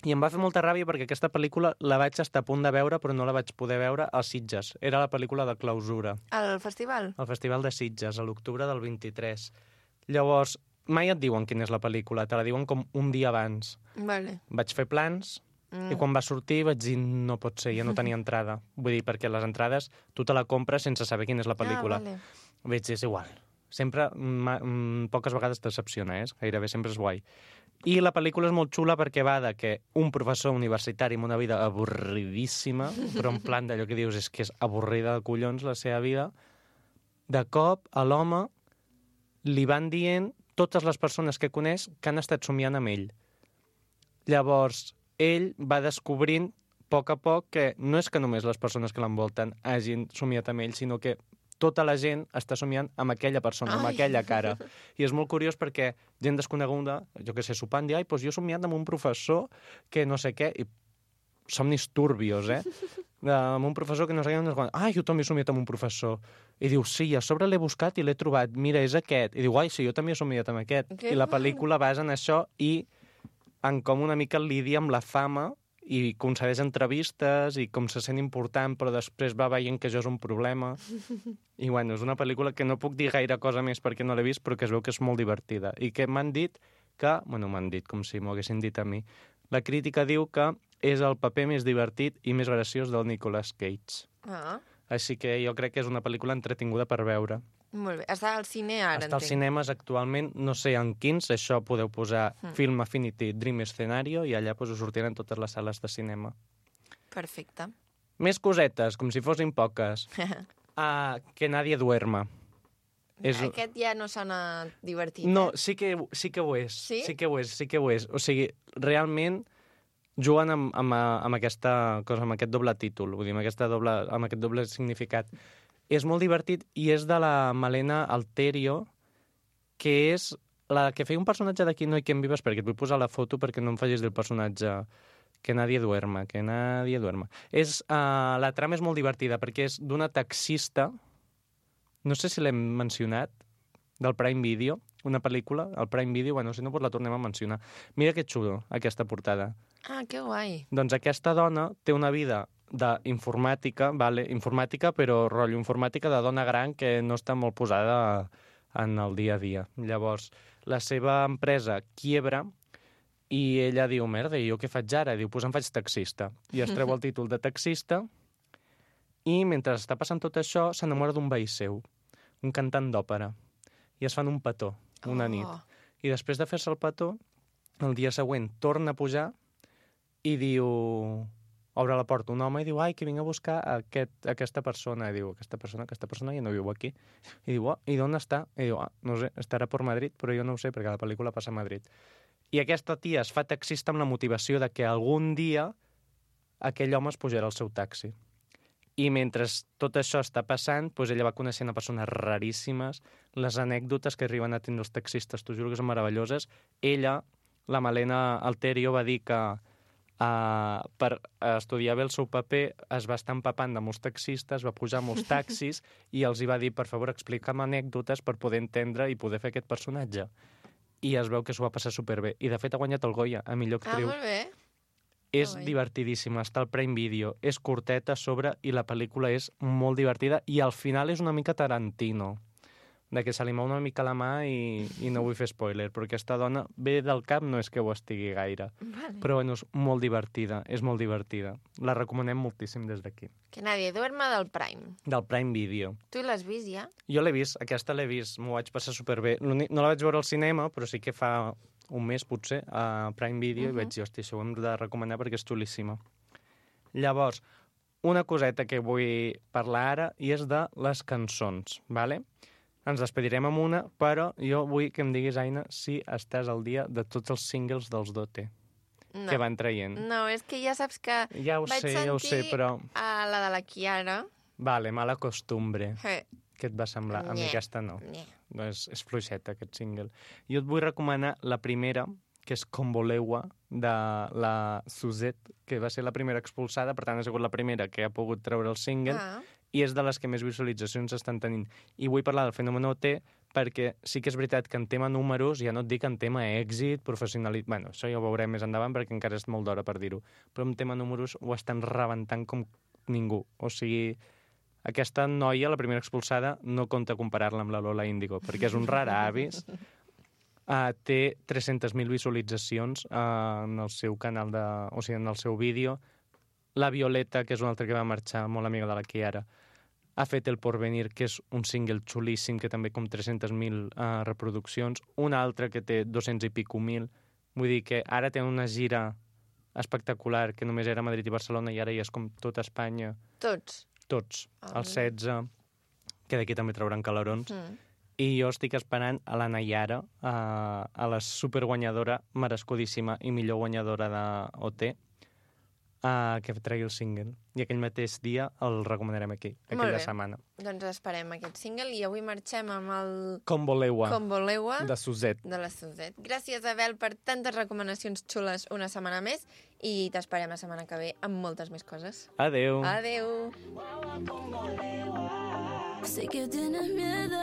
F: i em va fer molta ràbia perquè aquesta pel·lícula la vaig estar a punt de veure, però no la vaig poder veure als Sitges. Era la pel·lícula de clausura.
B: Al festival?
F: Al Festival de Sitges, a l'octubre del 23. Llavors, mai et diuen quina és la pel·lícula, te la diuen com un dia abans.
B: Vale.
F: Vaig fer plans, i quan va sortir vaig dir, no pot ser, ja no tenia entrada. Vull dir, perquè les entrades tu te la compres sense saber quina és la pel·lícula.
B: Vale.
F: Vaig dir, és igual. Sempre, poques vegades decepciona, gairebé sempre és guai. I la pel·lícula és molt xula perquè va de que un professor universitari amb una vida avorridíssima, però en plan d'allò que dius és que és avorrida de collons la seva vida, de cop a l'home li van dient totes les persones que coneix que han estat somiant amb ell. Llavors, ell va descobrint a poc que no és que només les persones que l'envolten hagin somiat amb ell, sinó que tota la gent està somiant amb aquella persona, amb aquella cara. I és molt curiós perquè gent desconeguda, jo que sé, sopant, diu, doncs jo he somiat amb un professor que no sé què, i somnis turbios, amb un professor que no sé què, jo també he somiat amb un professor. I diu, sí, a sobre l'he buscat i l'he trobat, mira, és aquest. I diu, sí, jo també he somiat amb aquest. I la pel·lícula basa en això i en com una mica lidia amb la fama i concedeix entrevistes i com se sent important, però després va veient que això és un problema. I, bueno, és una pel·lícula que no puc dir gaire cosa més perquè no l'he vist, però que es veu que és molt divertida. I que m'han dit que... Bueno, m'han dit com si m'ho haguessin dit a mi. La crítica diu que és el paper més divertit i més graciós del Nicolas Cage. Així que jo crec que és una pel·lícula entretinguda per veure.
B: Molt bé. Està al cine ara,
F: Està als cinemes actualment, no sé en quins, això podeu posar Film Affinity Dream Scenario i allà us sortiran totes les sales de cinema.
B: Perfecte.
F: Més cosetes, com si fossin poques. Que nadie duerma.
B: Aquest ja no sona divertit,
F: No, sí que ho és.
B: Sí?
F: Sí que ho és. O sigui, realment juguen amb aquesta cosa, amb aquest doble títol, vull dir, amb aquest doble significat. És molt divertit i és de la Malena Alterio, que és la que feia un personatge d'Aquí no hi quien vives, perquè et vull posar la foto perquè no em facis del personatge que nadie duerma. La trama és molt divertida perquè és d'una taxista, no sé si l'hem mencionat, del Prime Video, una pel·lícula, el Prime Video, bueno, si no, doncs la tornem a mencionar. Mira que xulo, aquesta portada.
B: Que guai.
F: Doncs aquesta dona té una vida d'informàtica, informàtica, però rotllo informàtica de dona gran que no està molt posada en el dia a dia. Llavors, la seva empresa quiebra i ella diu, merda, i jo què faig ara? Diu, doncs em faig taxista. I es treu el títol de taxista i mentre està passant tot això s'enamora d'un veí seu, un cantant d'òpera. I es fan un petó, una nit. I després de fer-se el petó, el dia següent torna a pujar i diu... Obre la porta un home i diu, ai, que vinc a buscar aquesta persona. I diu, aquesta persona ja no viu aquí. I diu, i d'on està? I diu, no sé, estarà per Madrid, però jo no ho sé, perquè la pel·lícula passa a Madrid. I aquesta tia es fa taxista amb la motivació de que algun dia aquell home es pujarà al seu taxi. I mentre tot això està passant, doncs ella va coneixent a persones raríssimes, les anècdotes que arriben a tenir els taxistes, t'ho juro que són meravelloses. Ella, la Malena Alterio, va dir que per estudiar bé el seu paper es va estar empapant de molts taxistes, va pujar molts taxis i els hi va dir, per favor, explica'm anècdotes per poder entendre i poder fer aquest personatge. I es veu que s'ho va passar superbé. I, de fet, ha guanyat el Goya a millor actriu.
B: Molt bé.
F: És divertidíssima, està al Prime Video, és curteta a sobre i la pel·lícula és molt divertida i al final és una mica Tarantino, de que se li mou una mica la mà i no vull fer spoiler, però aquesta dona ve del cap, no és que ho estigui gaire.
B: Vale.
F: Però bueno, és molt divertida, és molt divertida. La recomanem moltíssim des d'aquí.
B: Que nadie duerma del Prime.
F: Del Prime Video.
B: Tu l'has vist ja?
F: Jo l'he vist, aquesta l'he vist, m'ho vaig passar superbé. No la vaig veure al cinema, però sí que fa un mes, potser, a Prime Video, i vaig dir, hòstia, això ho hem de recomanar perquè és xulíssima. Llavors, una coseta que vull parlar ara i és de les cançons, ¿vale? Ens despedirem amb una, però jo vull que em diguis, Aina, si estàs al dia de tots els singles dels Dote que van traient.
B: No, és que ja saps que
F: ja ho sé, però...
B: a la de la Kiara.
F: Vale, Mala Costumbre. Què et va semblar? A mi aquesta no. No és fluixeta, aquest single. Jo et vull recomanar la primera, que és Comboleua, de la Suzette, que va ser la primera expulsada, per tant ha sigut la primera que ha pogut treure el single, i és de les que més visualitzacions estan tenint. I vull parlar del fenomen OT perquè sí que és veritat que en tema números, ja no et dic en tema èxit, professionalitat... Bueno, això ja ho veurem més endavant perquè encara és molt d'hora per dir-ho. Però en tema números ho estan rebentant com ningú. O sigui, aquesta noia, la primera expulsada, no compta comparar-la amb la Lola Índigo, perquè és un rar avis. Té 300.000 visualitzacions en el seu canal o sigui, en el seu vídeo. La Violeta, que és una altra que va marxar, molt amiga de la Kiara, ha fet El Porvenir, que és un single xulíssim, que també com 300.000 reproduccions. Una altra que té 200 i pico mil. Vull dir que ara té una gira espectacular, que només era Madrid i Barcelona, i ara ja és com tota Espanya.
B: Tots?
F: Tots. Els 16, que d'aquí també trauran calarons. I jo estic esperant a la Nayara, a la superguanyadora, merescudíssima i millor guanyadora d'OT, que tregui el single. I aquell mateix dia el recomanarem aquí, aquella setmana.
B: Doncs esperem aquest single i avui marxem amb el...
F: Comboleua.
B: De
F: Suzette.
B: De la Suzette. Gràcies, Abel, per tantes recomanacions xules una setmana més i t'esperem la setmana que ve amb moltes més coses.
F: Adeu.
B: Adeu.
G: Sé que tienes miedo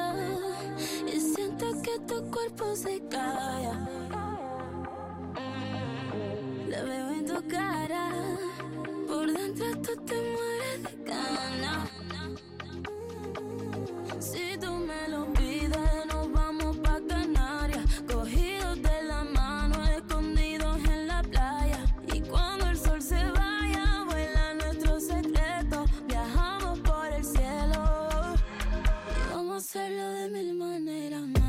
G: y siento que tu cuerpo se calla. La veo en tu cara, por dentro tú te mueres de ganas. Si tú me lo pides, nos vamos pa' Canarias, cogidos de la mano, escondidos en la playa. Y cuando el sol se vaya, vuela nuestro secreto, viajamos por el cielo y vamos a hacerlo de mil maneras más.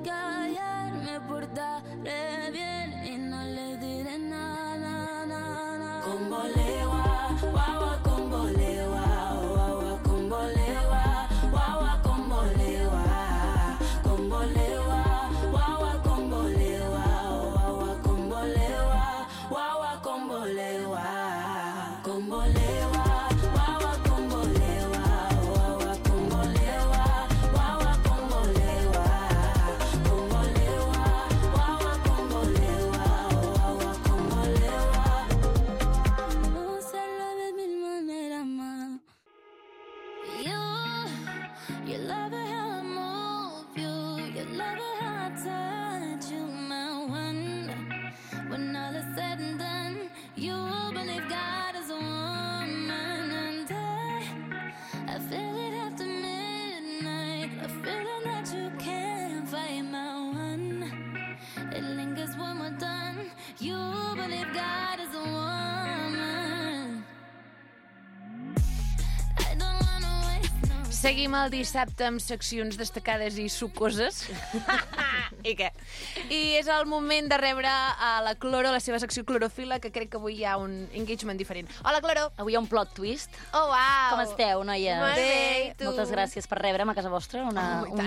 G: que ayer me portaré bien y no le diré nada, nada. Con bolewa, guagua con bolewa, guagua con bolewa, guagua con bolewa, con bolewa, guagua con bolewa, guagua con bolewa, guagua con bolewa, con bolewa.
A: Seguim el dissabte amb seccions destacades i sucoses. I què? I és el moment de rebre a la Cloro, la seva secció clorofila, que crec que avui hi ha un engagement diferent. Hola, Cloro!
H: Avui hi ha un plot twist.
A: Oh, uau!
H: Com esteu, noies?
B: Molt bé, i tu?
H: Moltes gràcies per rebre'm a casa vostra un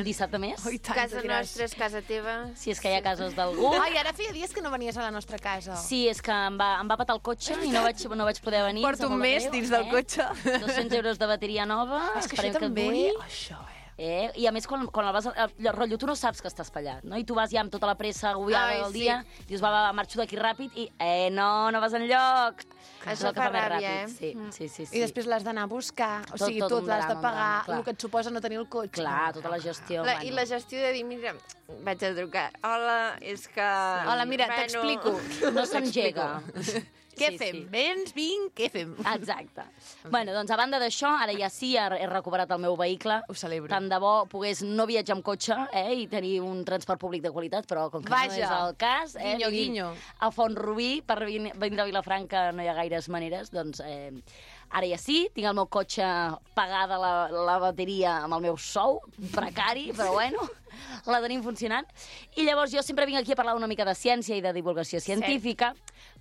H: dissabte més.
A: Oh, i tant,
B: Casa nostra és casa teva.
H: Si és que hi ha cases d'algú.
A: Ai, ara feia dies que no venies a la nostra casa.
H: Sí, és que em va patar el cotxe i no vaig poder venir.
A: Porto un mes dins del cotxe.
H: 200 euros de bateria nova.
A: És que això també... Això,
H: I a més, quan el vas... rotllo, tu no saps que estàs pallat, no? I tu vas ja amb tota la pressa agobiada del dia, dius, va, marxo d'aquí ràpid, i no vas enlloc.
B: Això fa ràbia,
H: Sí.
A: I després l'has d'anar a buscar, o sigui, tot l'has de pagar, el que et suposa no tenir el cotxe.
H: Clar, tota la gestió.
B: I la gestió de dir, mira, vaig a trucar. Hola, és que...
A: Hola, mira, t'explico.
H: No s'engega.
A: Què fem? Vens, vinc, què fem?
H: Exacte. Bueno, doncs a banda d'això, ara ja sí, he recuperat el meu vehicle.
A: Ho celebro.
H: Tant de bo pogués no viatjar amb cotxe i tenir un transport públic de qualitat, però com que no és el cas,
A: guinyo, guinyo.
H: A Font-rubí, per venir a Vilafranca no hi ha gaires maneres, doncs ara ja sí, tinc el meu cotxe pagada la bateria amb el meu sou, precari, però bueno, la tenim funcionant. I llavors jo sempre vinc aquí a parlar una mica de ciència i de divulgació científica,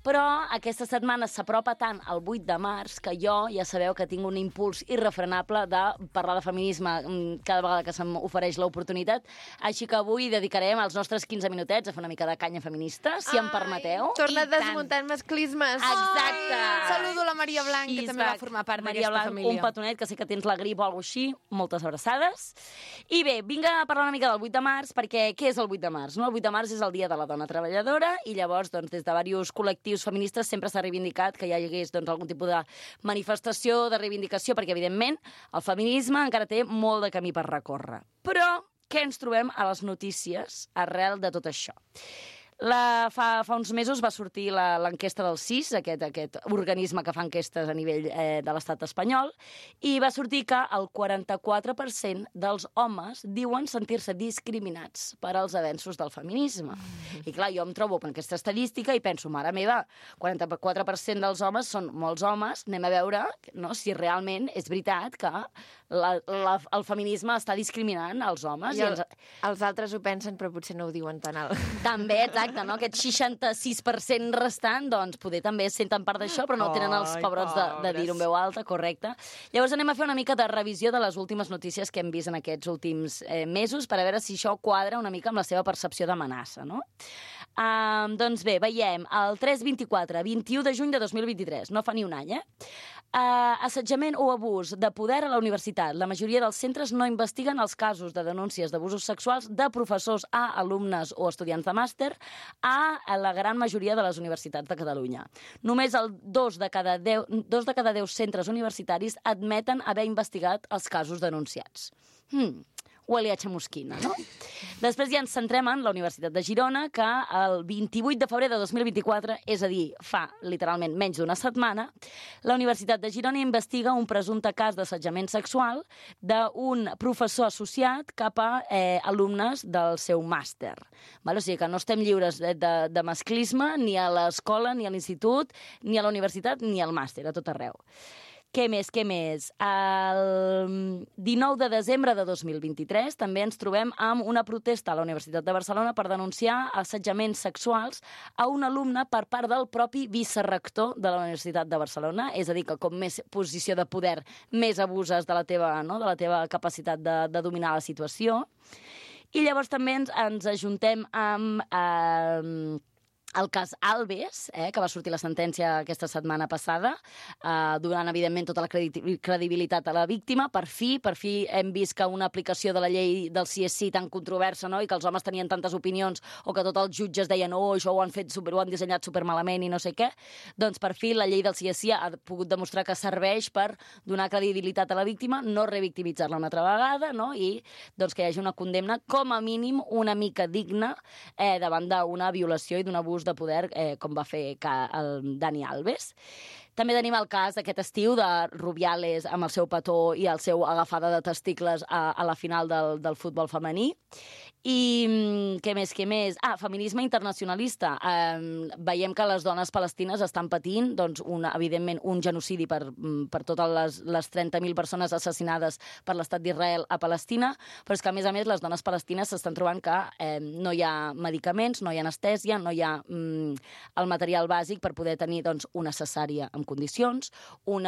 H: però aquesta setmana s'apropa tant al 8 de març que jo ja sabeu que tinc un impuls irrefrenable de parlar de feminisme cada vegada que se'm ofereix l'oportunitat. Així que avui dedicarem els nostres 15 minutets a fer una mica de canya feminista, si em permeteu.
B: Torna desmuntant masclismes.
H: Exacte.
A: Saludo la Maria Blanc, que també va formar part d'aquesta família.
H: Un petonet, que sé que tens la grip o alguna cosa així, moltes abraçades. I bé, vinc a parlar una mica del 8 de març, perquè què és el 8 de març? No? El 8 de març és el Dia de la Dona Treballadora, i llavors, doncs, des de diversos col·lectius feministes sempre s'ha reivindicat que hi hagués algun tipus de manifestació, de reivindicació, perquè, evidentment, el feminisme encara té molt de camí per recórrer. Però què ens trobem a les notícies arrel de tot això? Fa uns mesos va sortir l'enquesta del CIS, aquest organisme que fa enquestes a nivell de l'estat espanyol, i va sortir que el 44% dels homes diuen sentir-se discriminats per als avenços del feminisme. I clar, jo em trobo amb aquesta estadística i penso, mare meva, 44% dels homes són molts homes, anem a veure si realment és veritat que el feminisme està discriminant els homes.
B: I els altres ho pensen, però potser no ho diuen tan alt.
H: També, exacte, no? Aquest 66% restant, doncs, poder també senten part d'això, però no tenen els pebrots de dir-ho en veu alta, correcte. Llavors anem a fer una mica de revisió de les últimes notícies que hem vist en aquests últims mesos per a veure si això quadra una mica amb la seva percepció d'amenaça, no? Doncs bé, veiem el 3-24, 21 de juny de 2023, no fa ni un any, assetjament o abús de poder a la universitat. La majoria dels centres no investiguen els casos de denúncies d'abusos sexuals de professors a alumnes o estudiants de màster a la gran majoria de les universitats de Catalunya. Només el 2 de cada 10 centres universitaris admeten haver investigat els casos denunciats. Huele a chamusquina, no? Després ja ens centrem en la Universitat de Girona, que el 28 de febrer de 2024, és a dir, fa literalment menys d'una setmana, la Universitat de Girona investiga un presumpte cas d'assetjament sexual d'un professor associat cap a alumnes del seu màster. O sigui que no estem lliures de masclisme ni a l'escola, ni a l'institut, ni a la universitat, ni al màster, a tot arreu. Què més? El 19 de desembre de 2023 també ens trobem amb una protesta a la Universitat de Barcelona per denunciar assetjaments sexuals a un alumne per part del propi vicerrector de la Universitat de Barcelona. És a dir, que com més posició de poder, més abuses de la teva capacitat de dominar la situació. I llavors també ens ajuntem amb el cas Alves, que va sortir la sentència aquesta setmana passada, donant, evidentment, tota la credibilitat a la víctima. Per fi hem vist que una aplicació de la llei del CSI tan controversa, no?, i que els homes tenien tantes opinions, o que tots els jutges deien això ho han dissenyat supermalament i no sé què, doncs per fi la llei del CSI ha pogut demostrar que serveix per donar credibilitat a la víctima, no revictimitzar-la una altra vegada, no?, i doncs que hi hagi una condemna, com a mínim, una mica digna davant d'una violació i d'un abús de poder, com va fer el Dani Alves. També tenim el cas d'aquest estiu de Rubiales amb el seu petó i el seu agafada de testicles a la final del futbol femení. I què més? Feminisme internacionalista. Veiem que les dones palestines estan patint, doncs, evidentment, un genocidi per totes les 30.000 persones assassinades per l'estat d'Israel a Palestina, però és que, a més, les dones palestines s'estan trobant que no hi ha medicaments, no hi ha anestèsia, no hi ha el material bàsic per poder tenir, doncs, una cesària en condicions, un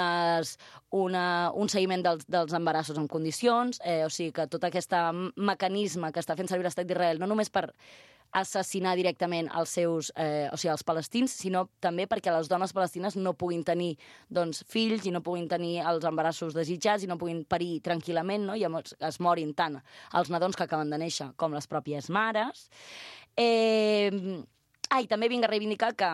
H: seguiment dels embarassos en condicions, o sigui que tot aquest mecanisme que està fent servir l'estat d'Israel, no només per assassinar directament els palestins, sinó també perquè les dones palestines no puguin tenir, doncs, fills i no puguin tenir els embarassos desitjats i no puguin parir tranquil·lament, no?, i es morin tant els nadons que acaben de néixer com les pròpies mares. I també vinc a reivindicar que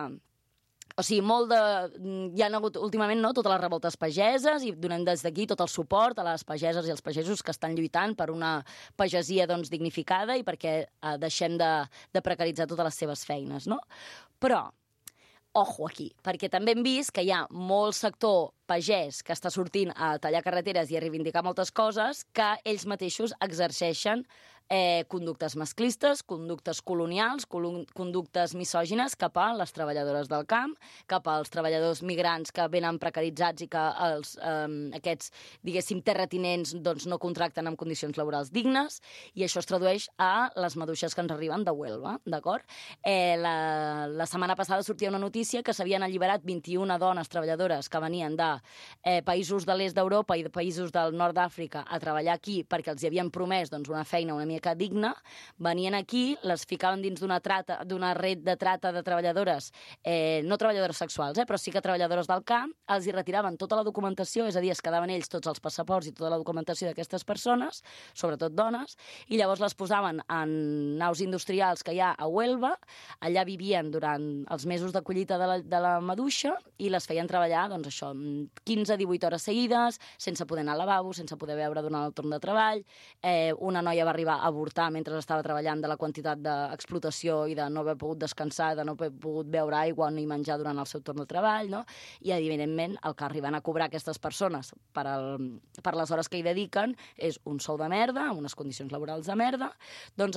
H: hi ha hagut últimament, no, totes les revoltes pageses, i donem des d'aquí tot el suport a les pageses i els pagesos que estan lluitant per una pagesia, doncs, dignificada i perquè deixem de precaritzar totes les seves feines, no? Però, ojo aquí, perquè també hem vist que hi ha molt sector pagès que està sortint a tallar carreteres i a reivindicar moltes coses que ells mateixos exerceixen conductes masclistes, conductes colonials, conductes misògines cap a les treballadores del camp, cap als treballadors migrants que venen precaritzats i que aquests, diguéssim, terratinents, doncs, no contracten en condicions laborals dignes, i això es tradueix a les maduixes que ens arriben de Huelva, d'acord? La setmana passada sortia una notícia que s'havien alliberat 21 dones treballadores que venien de països de l'est d'Europa i de països del nord d'Àfrica a treballar aquí perquè els hi havien promès, doncs, una feina una mica digna, venien aquí, les ficaven dins d'una red de trata de treballadores, no treballadores sexuals, però sí que treballadores del camp, els hi retiraven tota la documentació, és a dir, es quedaven ells tots els passaports i tota la documentació d'aquestes persones, sobretot dones, i llavors les posaven en naus industrials que hi ha a Huelva, allà vivien durant els mesos de collita de la maduixa i les feien treballar, doncs això, 15-18 hores seguides, sense poder anar al lavabo, sense poder beure durant el torn de treball. Una noia va arribar a avortar mentre estava treballant de la quantitat d'explotació i de no haver pogut descansar, de no haver pogut beure aigua ni menjar durant el seu torn de treball, no? I, evidentment, el que arriben a cobrar aquestes persones per les hores que hi dediquen és un sou de merda, amb unes condicions laborals de merda. Doncs,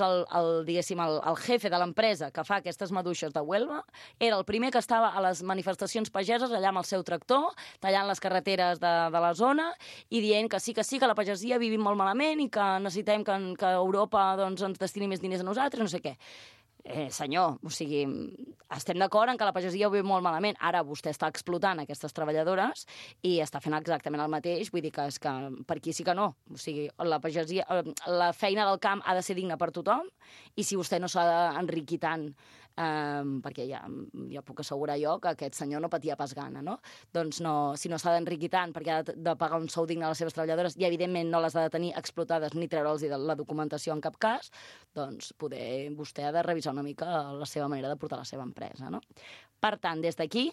H: diguéssim, el jefe de l'empresa que fa aquestes maduixes de Huelva era el primer que estava a les manifestacions pageses allà amb el seu tractor, tallant les carreteres de la zona i dient que sí, que la pagesia vivim molt malament i que necessitem que Europa, doncs, ens destini més diners a nosaltres, no sé què. Senyor, o sigui, estem d'acord en que la pagesia ho viu molt malament. Ara vostè està explotant aquestes treballadores i està fent exactament el mateix. Vull dir que és que per aquí sí que no. O sigui, la pagesia, la feina del camp ha de ser digna per tothom i si vostè no s'ha d'enriquir tant, perquè ja puc assegurar jo que aquest senyor no patia pas gana, no? Doncs no, si no s'ha d'enriquir tant perquè ha de pagar un sou digne a les seves treballadores i, evidentment, no les ha de tenir explotades ni treure'ls la documentació en cap cas, doncs poder vostè ha de revisar una mica la seva manera de portar la seva empresa, no? Per tant, des d'aquí,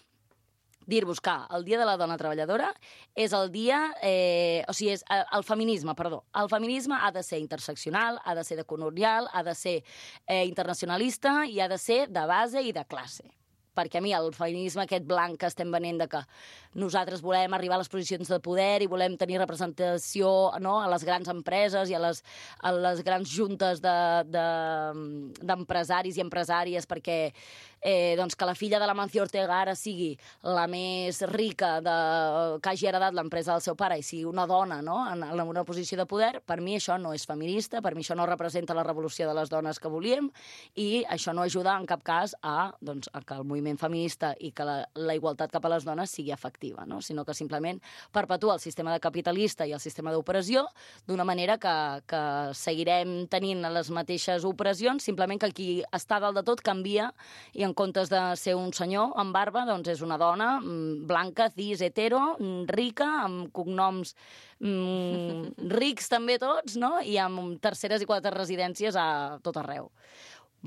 H: dir-vos que el Dia de la Dona Treballadora és el dia... o sigui, és el feminisme, perdó. El feminisme ha de ser interseccional, ha de ser decolonial, ha de ser internacionalista i ha de ser de base i de classe. Perquè a mi el feminisme aquest blanc que estem venent de que nosaltres volem arribar a les posicions de poder i volem tenir representació, no, a les grans empreses i a les grans juntes d'empresaris i empresàries perquè doncs que la filla de l'Amancio Ortega ara sigui la més rica que hagi heredat l'empresa del seu pare i sigui una dona, no?, en una posició de poder, per mi això no és feminista, per mi això no representa la revolució de les dones que volíem i això no ajuda en cap cas a que el moviment feminista i que la igualtat cap a les dones sigui efectiva, no?, sinó que simplement perpetua el sistema de capitalista i el sistema d'opressió d'una manera que seguirem tenint les mateixes opressions, simplement que qui està dalt de tot canvia i en comptes de ser un senyor amb barba, doncs és una dona blanca, cis, hetero, rica, amb cognoms rics també tots, no?, i amb terceres i quartes residències a tot arreu.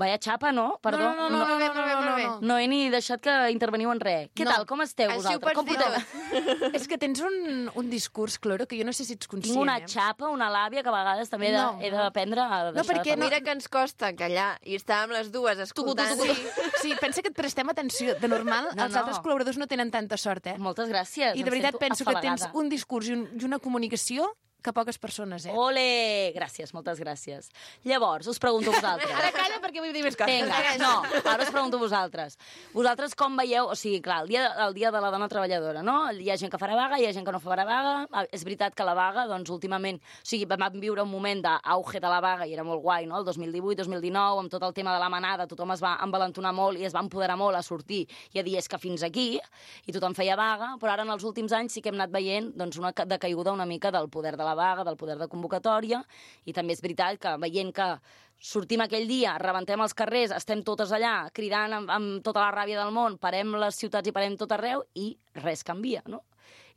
H: Vaya xapa, no? Perdó.
B: No.
H: No he ni deixat que interveniu en res. Què tal? Com esteu vosaltres? Com porteu?
A: És que tens un discurs, Cloro, que jo no sé si ets conscient.
H: Tinc una xapa, una làbia, que a vegades també he d'aprendre a deixar
B: perquè
H: de parlar.
B: mira que ens costa callar i estàvem les dues escoltant.
A: Sí, pensa que et prestem atenció. De normal, els altres col·laboradors no tenen tanta sort, eh?
H: Moltes gràcies.
A: I de veritat penso que tens un discurs i una comunicació que poques persones, eh?
H: Ole! Gràcies, moltes gràcies. Llavors, us pregunto a vosaltres.
A: Ara calla perquè vull dir més coses.
H: Vinga, no, ara us pregunto a vosaltres. Vosaltres com veieu, o sigui, clar, el dia de la dona treballadora, no? Hi ha gent que farà vaga, hi ha gent que no farà vaga. És veritat que la vaga, doncs, últimament, o sigui, vam viure un moment d'auge de la vaga i era molt guai, no? El 2018, 2019, amb tot el tema de la manada, tothom es va envalentonar molt i es va empoderar molt a sortir i a dir és que fins aquí, i tothom feia vaga, però ara en els últims anys sí que hem anat veient doncs, una decaiguda una mica del poder de la vaga, del poder de convocatòria, i també és veritat que veient que sortim aquell dia, rebentem els carrers, estem totes allà cridant amb tota la ràbia del món, parem les ciutats i parem tot arreu i res canvia, no?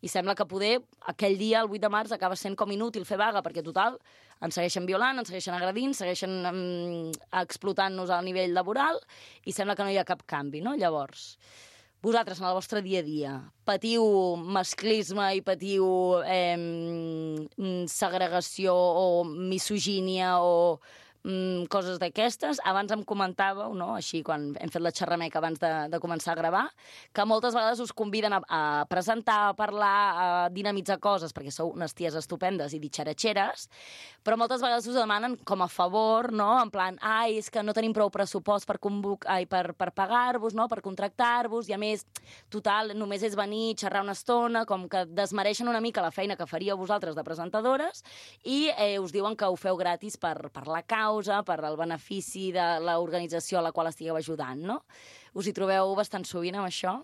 H: I sembla que poder aquell dia, el 8 de març, acaba sent com inútil fer vaga, perquè total, ens segueixen violant, ens segueixen agredint, segueixen explotant-nos al nivell laboral i sembla que no hi ha cap canvi, no? Llavors, vosaltres, en el vostre dia a dia, patiu masclisme i patiu segregació o misogínia o coses d'aquestes. Abans em comentàveu, no?, així, quan hem fet la xerrameca abans de començar a gravar, que moltes vegades us conviden a presentar, a parlar, a dinamitzar coses, perquè sou unes ties estupendes i ditxaratxeres, però moltes vegades us demanen com a favor, no?, en plan, és que no tenim prou pressupost per pagar-vos, no?, per contractar-vos, i a més, total, només és venir, xerrar una estona, com que desmereixen una mica la feina que faríeu vosaltres de presentadores i us diuen que ho feu gratis per la causa, per el benefici de l'organització a la qual estigueu ajudant, no? Us hi trobeu bastant sovint amb això?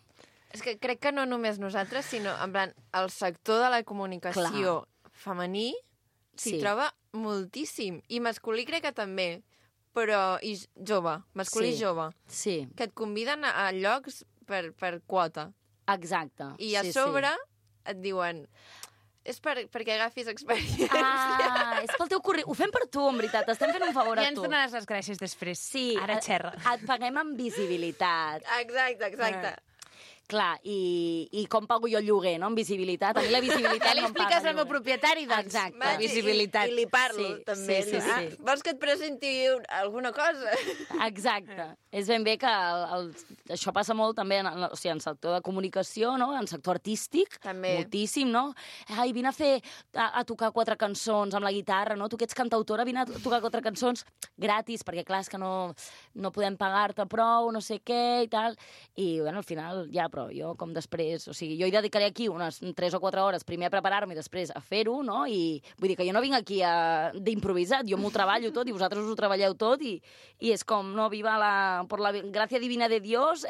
B: És que crec que no només nosaltres, sinó, en plan, el sector de la comunicació femení s'hi troba moltíssim. I masculí crec que també, però i jove, masculí jove.
H: Sí.
B: Que et conviden a llocs per quota.
H: Exacte.
B: I a sobre et diuen... És perquè agafis experiència.
H: És pel teu currículum. Ho fem per tu, en veritat. Estem fent un favor a tu.
A: Ja ens donaràs les gràcies després.
H: Sí.
A: Ara xerra.
H: Et paguem amb visibilitat.
B: Exacte.
H: Clar, i com pago jo el lloguer, no?, amb visibilitat. A mi la visibilitat
A: Ja li
H: no em paga
A: expliques al
H: el
A: meu
H: lloguer.
A: propietari, doncs,
H: Exacte.
A: la visibilitat.
B: I li parlo,
H: Sí,
B: també.
H: sí, sí, sí.
B: Vols que et presenti alguna cosa?
H: Exacte. És ben bé que això passa molt també en el sector de comunicació, no?, en sector artístic,
B: també.
H: moltíssim, no? Ai, vine a tocar 4 cançons amb la guitarra, no? Tu que ets cantautora, vine a tocar 4 cançons gratis, perquè clar, és que no podem pagar-te prou, no sé què i tal. I, bueno, al final, ja, però jo com després, o sigui, jo hi dedicaré aquí unes 3 o 4 hores primer a preparar-me i després a fer-ho, no? I vull dir que jo no vinc aquí d'improvisat, jo m'ho treballo tot i vosaltres us ho treballeu tot i és com, no, por la gràcia divina de Dios.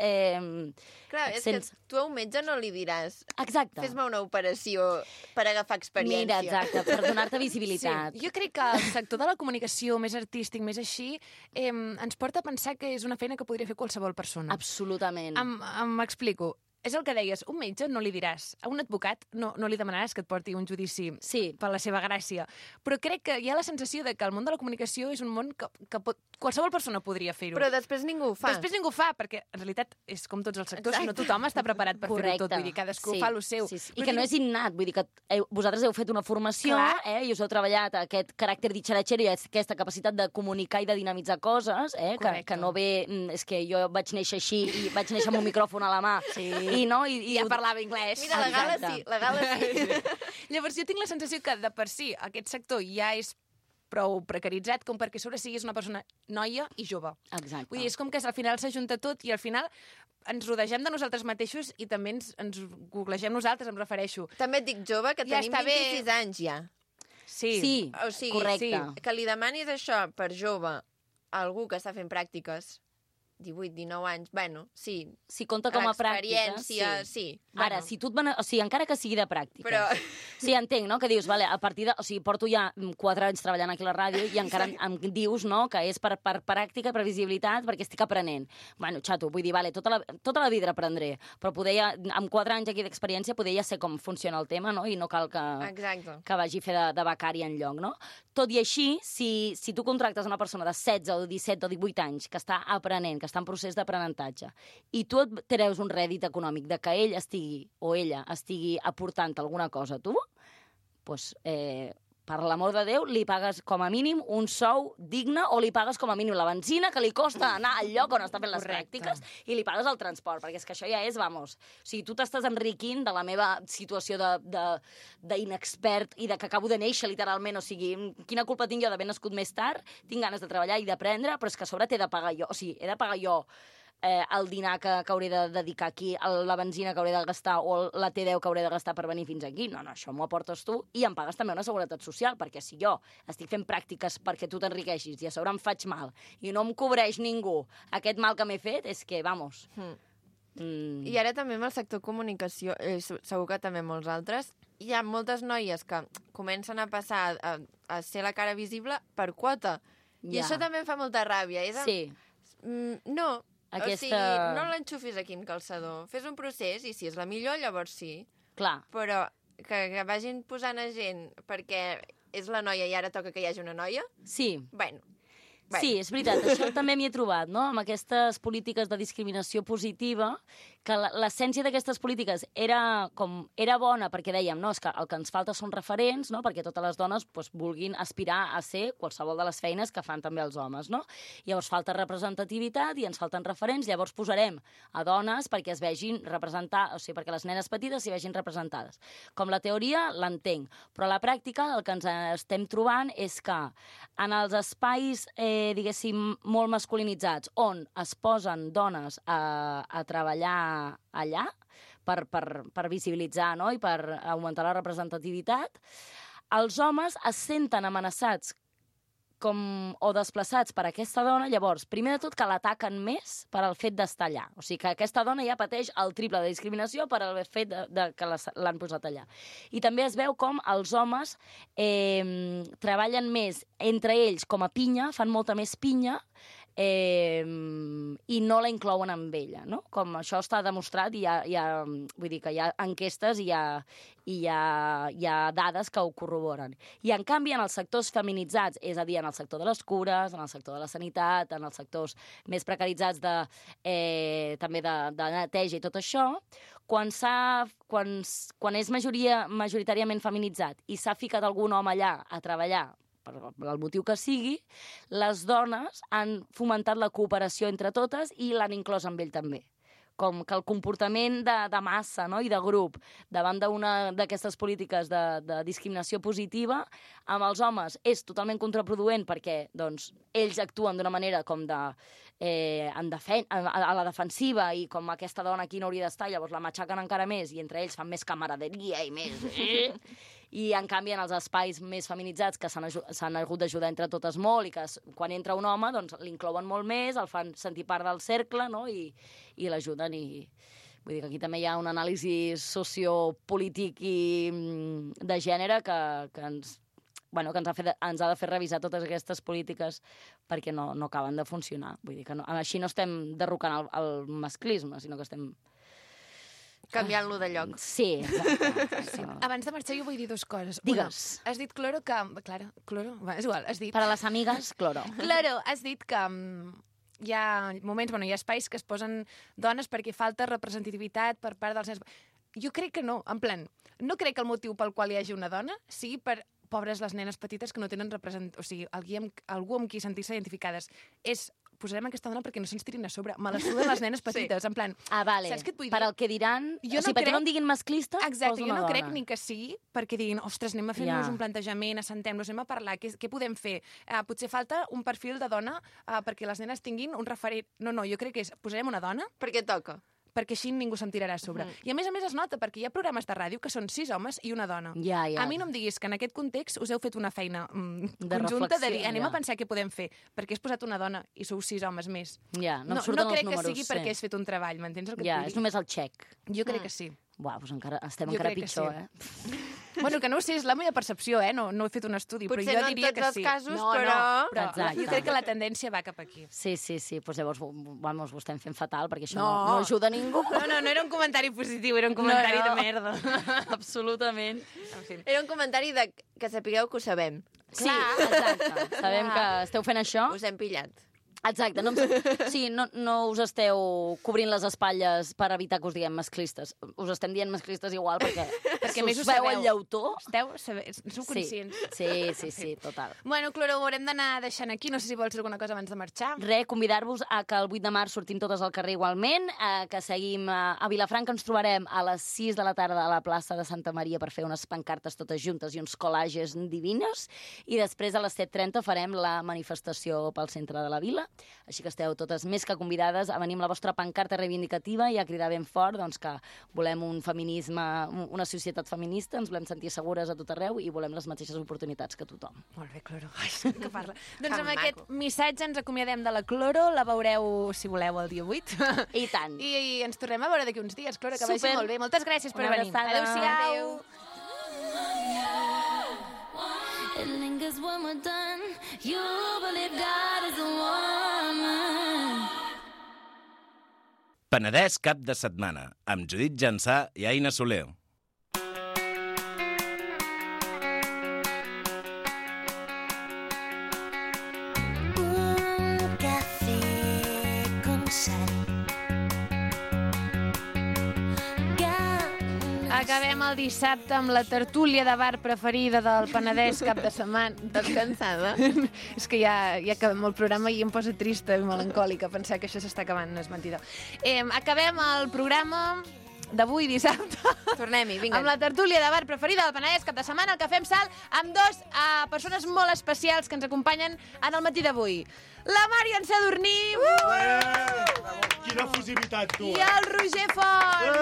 B: Clar, és que tu a un metge no li diràs
H: Exacte.
B: fes-me una operació per agafar experiència.
H: Mira, exacte, per donar-te visibilitat.
A: Sí, jo crec que el sector de la comunicació més artístic, més així, ens porta a pensar que és una feina que podria fer qualsevol persona.
H: Absolutament.
A: M'explico. És el que deies, un metge no li diràs, a un advocat no li demanaràs que et porti un judici per la seva gràcia, però crec que hi ha la sensació de que el món de la comunicació és un món que qualsevol persona podria fer-ho.
B: Però després ningú ho fa.
A: Després ningú ho fa, perquè en realitat és com tots els sectors, no tothom està preparat per fer-ho tot, vull dir, cadascú fa el seu.
H: Sí. I que no és innat, vull dir que vosaltres heu fet una formació i us heu treballat aquest caràcter ditxaratxer i aquesta capacitat de comunicar i de dinamitzar coses, que no ve... És que jo vaig néixer així i vaig néixer amb un micròfon a la mà i ja
A: parlava anglès.
B: Mira, la Gala sí.
A: Llavors jo tinc la sensació que de per si aquest sector ja és prou precaritzat com perquè a sobre siguis una persona noia i jove.
H: Exacte.
A: Vull dir, és com que al final s'ajunta tot i al final ens rodegem de nosaltres mateixos i també ens googlegem nosaltres, em refereixo.
B: També et dic jove, que
A: Ja
B: tenim
A: està bé.
B: 26 anys ja.
H: Sí,
B: O sigui,
H: correcte.
A: sí.
B: Que li demanis això per jove a algú que està fent pràctiques 18, 19 anys, bueno, sí.
H: Si compta com a pràctica,
B: L'experiència, sí.
H: Ara,
B: Bueno,
H: si tu o sigui, encara que sigui de pràctica.
B: Però...
H: Sí, entenc, no?, que dius, vale, a partir de... O sigui, porto ja 4 anys treballant aquí a la ràdio i encara em dius, no?, que és per pràctica, per visibilitat, perquè estic aprenent. Bueno, xato, vull dir, vale, tota la vida aprendré, però poder ja, amb 4 anys aquí d'experiència, poder ja sé com funciona el tema, no?, i no cal que vagi a fer de becari enlloc, no? Tot i així, si tu contractes una persona de 16 o 17 o 18 anys que està aprenent, que està en procés d'aprenentatge, i tu et treus un rèdit econòmic de que ell estigui o ella estigui aportant alguna cosa a tu, doncs, per l'amor de Déu, li pagues com a mínim un sou digne o li pagues com a mínim la benzina que li costa anar al lloc on està fent les pràctiques i li pagues el transport, perquè és que això ja és, vamos... O sigui, tu t'estàs enriquint de la meva situació d'inexpert i de que acabo de néixer, literalment. O sigui, quina culpa tinc jo d'haver nascut més tard? Tinc ganes de treballar i d'aprendre, però és que a sobre t'he de pagar jo. O sigui, he de pagar jo el dinar que hauré de dedicar aquí, la benzina que hauré de gastar o la T10 que hauré de gastar per venir fins aquí. No, això m'ho aportes tu i em pagues també una seguretat social, perquè si jo estic fent pràctiques perquè tu t'enriqueixis i a sobre em faig mal i no em cobreix ningú aquest mal que m'he fet, és que, vamos...
B: I ara també amb el sector comunicació, segur que també molts altres, hi ha moltes noies que comencen a passar a ser la cara visible per quota. I això també em fa molta ràbia.
H: Sí.
B: No, o sigui, no
H: Aquesta...
B: l'enxufis aquí en calçador. Fes un procés i si és la millor, llavors sí.
H: Clar.
B: Però que vagin posant a gent perquè és la noia i ara toca que hi hagi una noia,
H: Sí.
B: bueno.
H: Sí, és veritat, això també m'hi he trobat, no?, amb aquestes polítiques de discriminació positiva, que l'essència d'aquestes polítiques era bona perquè dèiem, no, és que el que ens falta són referents, no?, perquè totes les dones doncs, vulguin aspirar a ser qualsevol de les feines que fan també els homes, no? Llavors falta representativitat i ens falten referents, llavors posarem a dones perquè es vegin representar, o sigui, perquè les nenes petites s'hi vegin representades. Com la teoria l'entenc, però a la pràctica el que ens estem trobant és que en els espais diguéssim, molt masculinitzats, on es posen dones a treballar allà per visibilitzar, no?, i per augmentar la representativitat, els homes es senten amenaçats o desplaçats per aquesta dona, llavors, primer de tot, que l'ataquen més per al fet d'estar allà. O sigui, que aquesta dona ja pateix el triple de discriminació per al fet que l'han posat allà. I també es veu com els homes treballen més entre ells com a pinya, fan molta més pinya, i no la inclouen amb ella, no? Com això està demostrat i vull dir que hi ha enquestes i hi ha dades que ho corroboren. I en canvi en els sectors feminitzats, és a dir, en el sector de les cures, en el sector de la sanitat, en els sectors més precaritzats també de neteja i tot això, quan és majoritàriament feminitzat i s'ha ficat algun home allà a treballar per el motiu que sigui, les dones han fomentat la cooperació entre totes i l'han inclòs amb ell també. Com que el comportament de massa, no?, i de grup davant d'una d'aquestes polítiques de discriminació positiva amb els homes és totalment contraproduent perquè doncs, ells actuen d'una manera com a la defensiva i com aquesta dona aquí no hauria d'estar, llavors la matxaquen encara més i entre ells fan més camaraderia i més... I, en canvi, en els espais més feminitzats que s'han hagut d'ajudar entre totes molt i que quan entra un home doncs, l'inclouen molt més, el fan sentir part del cercle, no?, i l'ajuden. Vull dir que aquí també hi ha un anàlisi sociopolític i de gènere que ens ha de fer revisar totes aquestes polítiques perquè no acaben de funcionar. Vull dir que així no estem derrocant el masclisme, sinó que estem...
B: canviant-lo de lloc.
H: Sí, exacte.
A: Sí. Abans de marxar jo vull dir dues coses.
H: Digues.
A: Una, has dit, Cloro, que... Clara, Cloro? Va, és igual, has dit...
H: Per a les amigues, Cloro.
A: Claro, has dit que hi ha moments, hi ha espais que es posen dones perquè falta representativitat per part dels nens. Jo crec que no, en plan, no crec que el motiu pel qual hi hagi una dona sigui per pobres les nenes petites que no tenen o sigui, algú amb qui sentir-se identificades. És posarem aquesta dona perquè no se'ns tirin a sobre. Me la suden les nenes petites, en plan...
H: Vale.
A: Saps què et vull dir?
H: Per al que diran... perquè no en diguin masclista,
A: Exacte,
H: posa
A: jo
H: una
A: no
H: dona.
A: crec ni que sigui perquè diguin, ostres, anem a fer-nos un plantejament, assentem-nos, anem a parlar, què podem fer? Potser falta un perfil de dona perquè les nenes tinguin un referent. No, jo crec que posarem una dona
B: Perquè toca.
A: perquè així ningú se'n tirarà a sobre. I a més es nota, perquè hi ha programes de ràdio que són 6 homes i una dona.
H: Ja.
A: A mi no em diguis que en aquest context us heu fet una feina
H: De
A: conjunta de dir,
H: reflexió,
A: anem a pensar què podem fer, perquè has posat una dona i sou 6 homes més.
H: Ja, no em
A: No
H: surten els
A: crec
H: números.
A: que sigui perquè has fet un treball, m'entens el que et
H: Ja,
A: vull
H: és
A: dir?
H: només el xec.
A: Jo crec que sí.
H: Uau, doncs encara estem
A: Jo
H: encara
A: crec que
H: pitjor,
A: sí. Bueno, que no ho sé, és la meva percepció, no he fet un estudi,
B: Potser
A: però jo
B: no en
A: diria
B: tots
A: que
B: els
A: sí.
B: casos,
A: no,
B: però...
A: però
H: Exacte.
A: jo crec que la tendència va cap aquí.
H: Sí, doncs llavors vamos, ho estem fent fatal, perquè això
A: No.
H: no ajuda a ningú.
A: No era un comentari positiu, era un comentari de merda.
H: Absolutament.
A: En fi.
B: Era un comentari de que sapigueu que ho sabem.
H: Sí, exacte. Sabem que esteu fent això.
B: Us hem pillat.
H: Exacte. No us esteu cobrint les espatlles per evitar que us diguem masclistes. Us estem dient masclistes igual perquè
A: Perquè més
H: us
A: ho
H: veu
A: sabeu.
H: el llautó.
A: Sou conscients.
H: Sí, total.
A: Bueno, Cloro, ho haurem d'anar deixant aquí. No sé si vols dir alguna cosa abans de marxar.
H: Convidar-vos a que el 8 de març sortim totes al carrer igualment, que seguim a Vilafranca, ens trobarem a les 6 de la tarda a la plaça de Santa Maria per fer unes pancartes totes juntes i uns collages divines, i després a les 7:30 farem la manifestació pel centre de la vila, així que esteu totes més que convidades a venir amb la vostra pancarta reivindicativa i a cridar ben fort doncs, que volem un feminisme, una societat feminista, ens volem sentir segures a tot arreu i volem les mateixes oportunitats que tothom.
A: Molt bé, Cloro. Ai, que parla. Doncs amb
B: maco.
A: aquest missatge ens acomiadem de la Cloro. La veureu, si voleu, el dia 8.
H: I tant.
A: I ens tornem a veure d'aquí uns dies, Cloro, que vagi
H: Super.
A: molt bé. Moltes gràcies per
H: Una
A: venir.
H: abraçada.
A: Adéu-siau.
G: It lingers when we're done. You believe God is a woman.
I: Penedès cap de setmana, amb Judit Jansà i Aina Soler.
G: Un café con sal.
A: Acabem el dissabte amb la tertúlia de bar preferida del Penedès cap de setmana.
B: Estàs cansada?
A: És que ja acabem el programa i em posa trista i melancòlica pensar que això s'està acabant, no és mentida. Acabem el programa d'avui, dissabte,
B: Tornem-hi, vinga.
A: amb la tertúlia de bar preferida del Penedès cap de setmana, el que fem salt amb dos persones molt especials que ens acompanyen en el matí d'avui. La Màrion Sadurní
J: Quina fusivitat, tu!
A: i el Roger Font.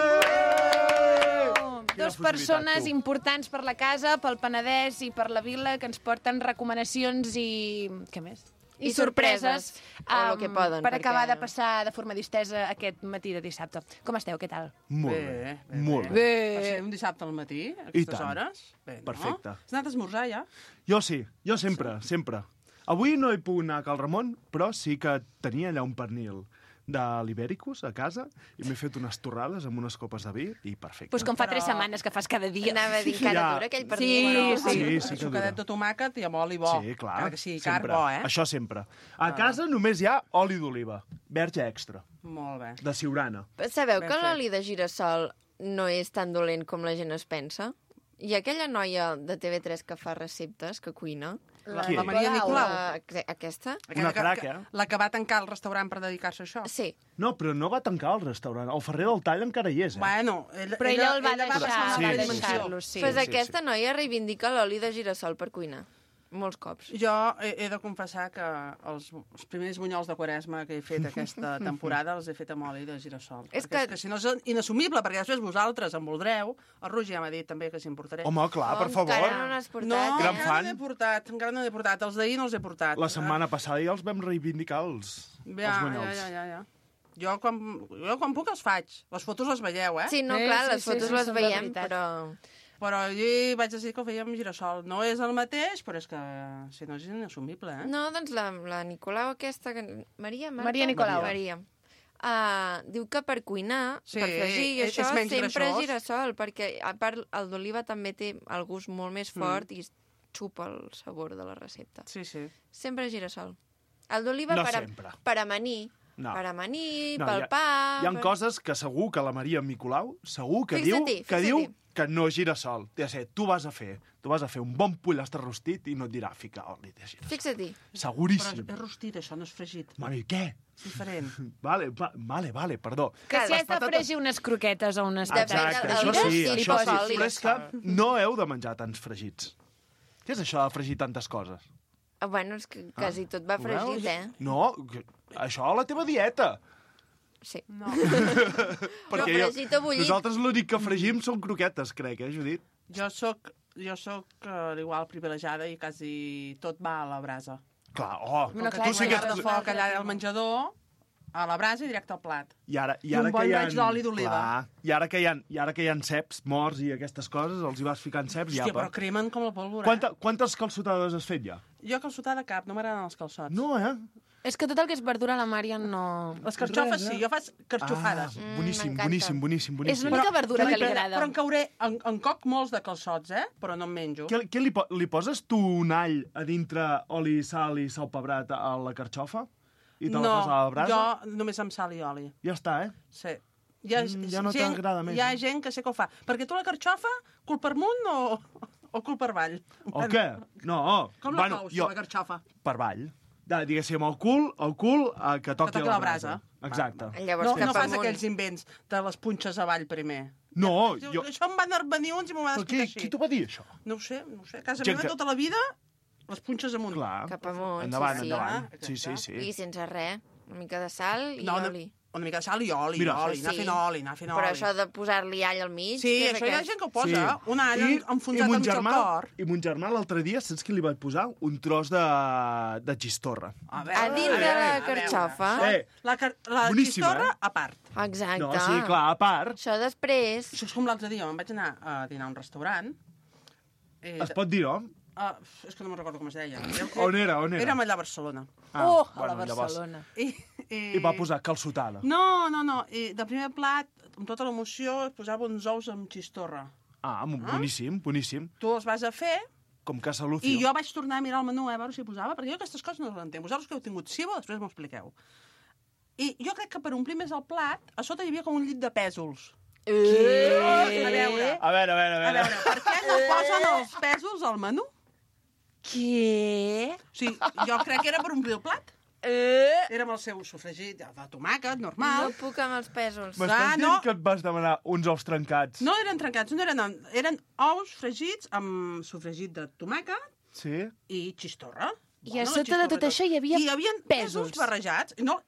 A: Dos
J: fusibilitat,
A: persones
J: tu.
A: importants per la casa, pel Penedès i per la vila, que ens porten recomanacions i... què més?
B: I sorpreses, o lo que poden,
A: per
B: perquè-
A: acabar de passar de forma distesa aquest matí de dissabte. Com esteu? Què tal?
J: Molt bé, molt bé.
A: Bé.
K: Per ser un dissabte al matí, a aquestes
J: tant.
K: hores. Bé, no?
J: Perfecte.
K: Has anat a esmorzar, ja?
J: Jo sí, jo sempre, sempre. Avui no he pogut anar a Cal Ramon, però sí que tenia allà un pernil de l'Ibèricus a casa i m'he fet unes torrades amb unes copes de vi i perfecte.
A: Pues com fa
K: Però-
A: 3 setmanes que fas cada dia.
B: Anava a dir encara
J: Ja.
B: dura aquell
A: Sí,
B: pernil.
J: sí,
K: El
J: que
K: sucadet
J: dura.
K: de tomàquet i amb oli bo.
J: Sí, clar.
K: Encara que sigui car,
J: sempre.
K: bo, eh?
J: Això sempre. A casa només hi ha oli d'oliva, verge extra,
K: Molt bé.
J: de Siurana.
B: Sabeu
K: Ben
B: que
K: fet.
B: l'oli de girassol no és tan dolent com la gent es pensa? Hi ha aquella noia de TV3 que fa receptes, que cuina.
J: Qui?
K: La Maria Nicolau.
B: Aquesta?
J: Una crac, eh?
K: La que va tancar el restaurant per dedicar-se a això.
B: Sí.
J: No, però no va tancar el restaurant. El Ferrer del Tall encara hi és, eh?
K: Bueno,
A: Però ella el va
K: passar
A: deixar,
K: una
A: va
K: dimensió.
A: deixar-lo, sí.
B: Pues
J: sí,
B: aquesta noia reivindica l'oli de girassol per cuinar. Molts cops.
K: Jo he de confessar que els primers bunyols de Quaresma que he fet aquesta temporada els he fet amb oli de girassol.
B: És
K: Perquè
B: que-
K: si no és inassumible, perquè després vosaltres en voldreu. El Roger ja m'ha dit també que s'hi importaré.
J: Home, clar, per
B: Encara
J: favor.
B: no n'has portat.
K: No,
J: Gran
K: encara
J: fan.
K: no n'he portat, encara no n'he portat. Els d'ahir no els he portat.
J: La setmana passada ja els vam reivindicar, els bunyols.
K: Ja. Jo quan puc els faig. Les fotos les veieu, eh?
B: Sí, no,
A: Sí,
B: clar,
A: sí,
B: les
A: sí,
B: fotos
A: sí,
B: les
A: són de
B: veiem,
A: veritat.
B: però...
K: Però jo vaig decidir que ho fèiem amb girassol. No és el mateix, però és que si no és inassumible, eh?
B: No, doncs la Nicolau aquesta... Maria, Marta?
A: Maria Nicolau.
B: Maria. Diu que per cuinar,
K: Sí,
B: per fregir i
K: és
B: això,
K: menys
B: sempre
K: greixós.
B: girassol, perquè a part el d'oliva també té el gust molt més fort i xupa el sabor de la recepta.
K: Sí, sí.
B: Sempre girassol. El d'oliva
J: No
B: per
J: sempre.
B: per amanir.
J: No.
B: Per amanir,
J: No,
B: pel pa...
J: Hi ha coses que segur que la Maria Nicolau segur que
B: Fixa-t'hi,
J: diu
B: fixa-t'hi.
J: que no gira sol. Té de ser, tu vas a fer un bon pollastre rostit i no et dirà ficar oli de girassol.
B: Fixa-t'hi.
J: Seguríssim.
K: Però és rostit, això no és fregit.
J: Mami, què?
K: És diferent.
J: Vale, perdó.
A: Que si has de fregir unes croquetes o unes
B: Depèn
A: patates
J: Exacte,
B: del-
J: això
B: del
J: sí,
B: gir,
J: això
B: posa
J: sí.
B: oli
J: Però
B: de
J: és que no heu de menjar tants fregits. Què és això de fregir tantes coses?
B: Bueno, és que quasi tot va
J: Ho veus?
B: fregit,
J: No, això a la teva dieta.
B: Sí.
K: No.
J: Perquè
B: fregit o bullit.
J: nosaltres l'únic que fregim són croquetes, crec, Judit?
K: Jo sóc igual privilegiada i quasi tot va a la brasa.
J: Clar,
A: Bueno, clar,
J: tu sí que...
K: Llar de foc allà al menjador, a la brasa i directe al plat.
J: I ara
K: I un bon
J: que hi ha...
K: raig d'oli d'oliva.
J: Clar, i ara que hi ha ceps morts i aquestes coses, els hi vas ficant ceps i
K: Hòstia,
J: apa.
K: però cremen com la pólvora.
J: Quantes calçotades has fet ja?
K: Jo calçotada cap, no m'agraden els calçots.
J: No,
A: És que tot el que és verdura a la Mària no...
K: Les carxofes sí, jo faig carxofades.
J: Boníssim,
B: m'encanta.
J: boníssim.
A: És l'única verdura que li agrada.
K: Però en cauré, en coc molts de calçots, però no en menjo.
J: Què li poses tu un all a dintre oli, sal i sal pebrat a la carxofa? I te la poses a la brasa?
K: Jo només amb sal i oli.
J: Ja està,
K: Sí.
J: Ja no t'agrada més,
K: Hi ha
J: eh?
K: gent que sé que ho fa. Perquè tu la carxofa, cul per amunt o cul per avall?
J: O què? No.
K: Com la cous, la carxofa?
J: Per avall. Diguéssim, el cul que toqui la brasa. Exacte.
B: Llavors,
K: No
B: cap
K: fas
B: amunt.
K: aquells invents de les punxes avall primer.
J: No,
K: Diu,
J: jo...
K: Això em van venir uns i m'ho van explicar així.
J: Qui t'ho va dir, això?
K: No ho sé. A casa
J: Gent
K: meva
J: que-
K: tota la vida, les punxes amunt.
J: Clar.
B: Cap amunt,
J: Endavant,
B: sí, sí.
J: endavant.
K: Exacte.
J: Sí.
B: I sense res. Una mica de sal i
K: No,
B: oli.
K: una mica de sal i oli,
J: Mira,
K: anar
B: sí.
K: fent oli, anar fent oli.
B: Però això de posar-li all al mig...
K: Sí,
B: què és
K: això hi ha
B: aquest?
K: gent que ho posa. Un all enfonsat
J: mon
K: al mig al cor.
J: I mon germà l'altre dia, saps què li vaig posar? Un tros de xistorra.
K: A
B: A dins de la
K: a veure.
B: carxofa?
K: La
J: Boníssima,
K: xistorra a part.
B: Exacte.
J: No, sí, clar, a part.
B: Això després...
K: Això és com l'altre dia, me'n vaig anar a dinar a un restaurant.
J: Es pot dir, no?
K: És que no me'n recordo com es deia.
J: On era?
K: Érem allà a Barcelona.
A: A la
J: llavors.
A: Barcelona.
J: I va posar calçotada.
K: No. I de primer plat, amb tota l'emoció, posava uns ous amb xistorra.
J: Boníssim.
K: Tu els vas a fer
J: Com Casa Lucio.
K: i jo vaig tornar a mirar el menú a veure si hi posava, perquè jo aquestes coses no les entenc. Vosaltres que heu tingut cibo, després m'ho expliqueu. I jo crec que per omplir més el plat, a sota hi havia com un llit de pèsols. A veure,
J: A veure.
K: per què no posen els pèsols al menú?
A: Què?
K: O sigui, jo crec que era per omplir el plat. Era amb el seu sofregit de tomàquet,
B: No
K: normal.
B: puc amb els pèsols.
J: M'estàs dient que et vas demanar uns ous trencats?
K: No eren trencats, no eren ous fregits amb sofregit de tomàquet
J: Sí?
K: i xistorra.
A: I a sota de tot això hi havia
K: pèsols barrejats. No,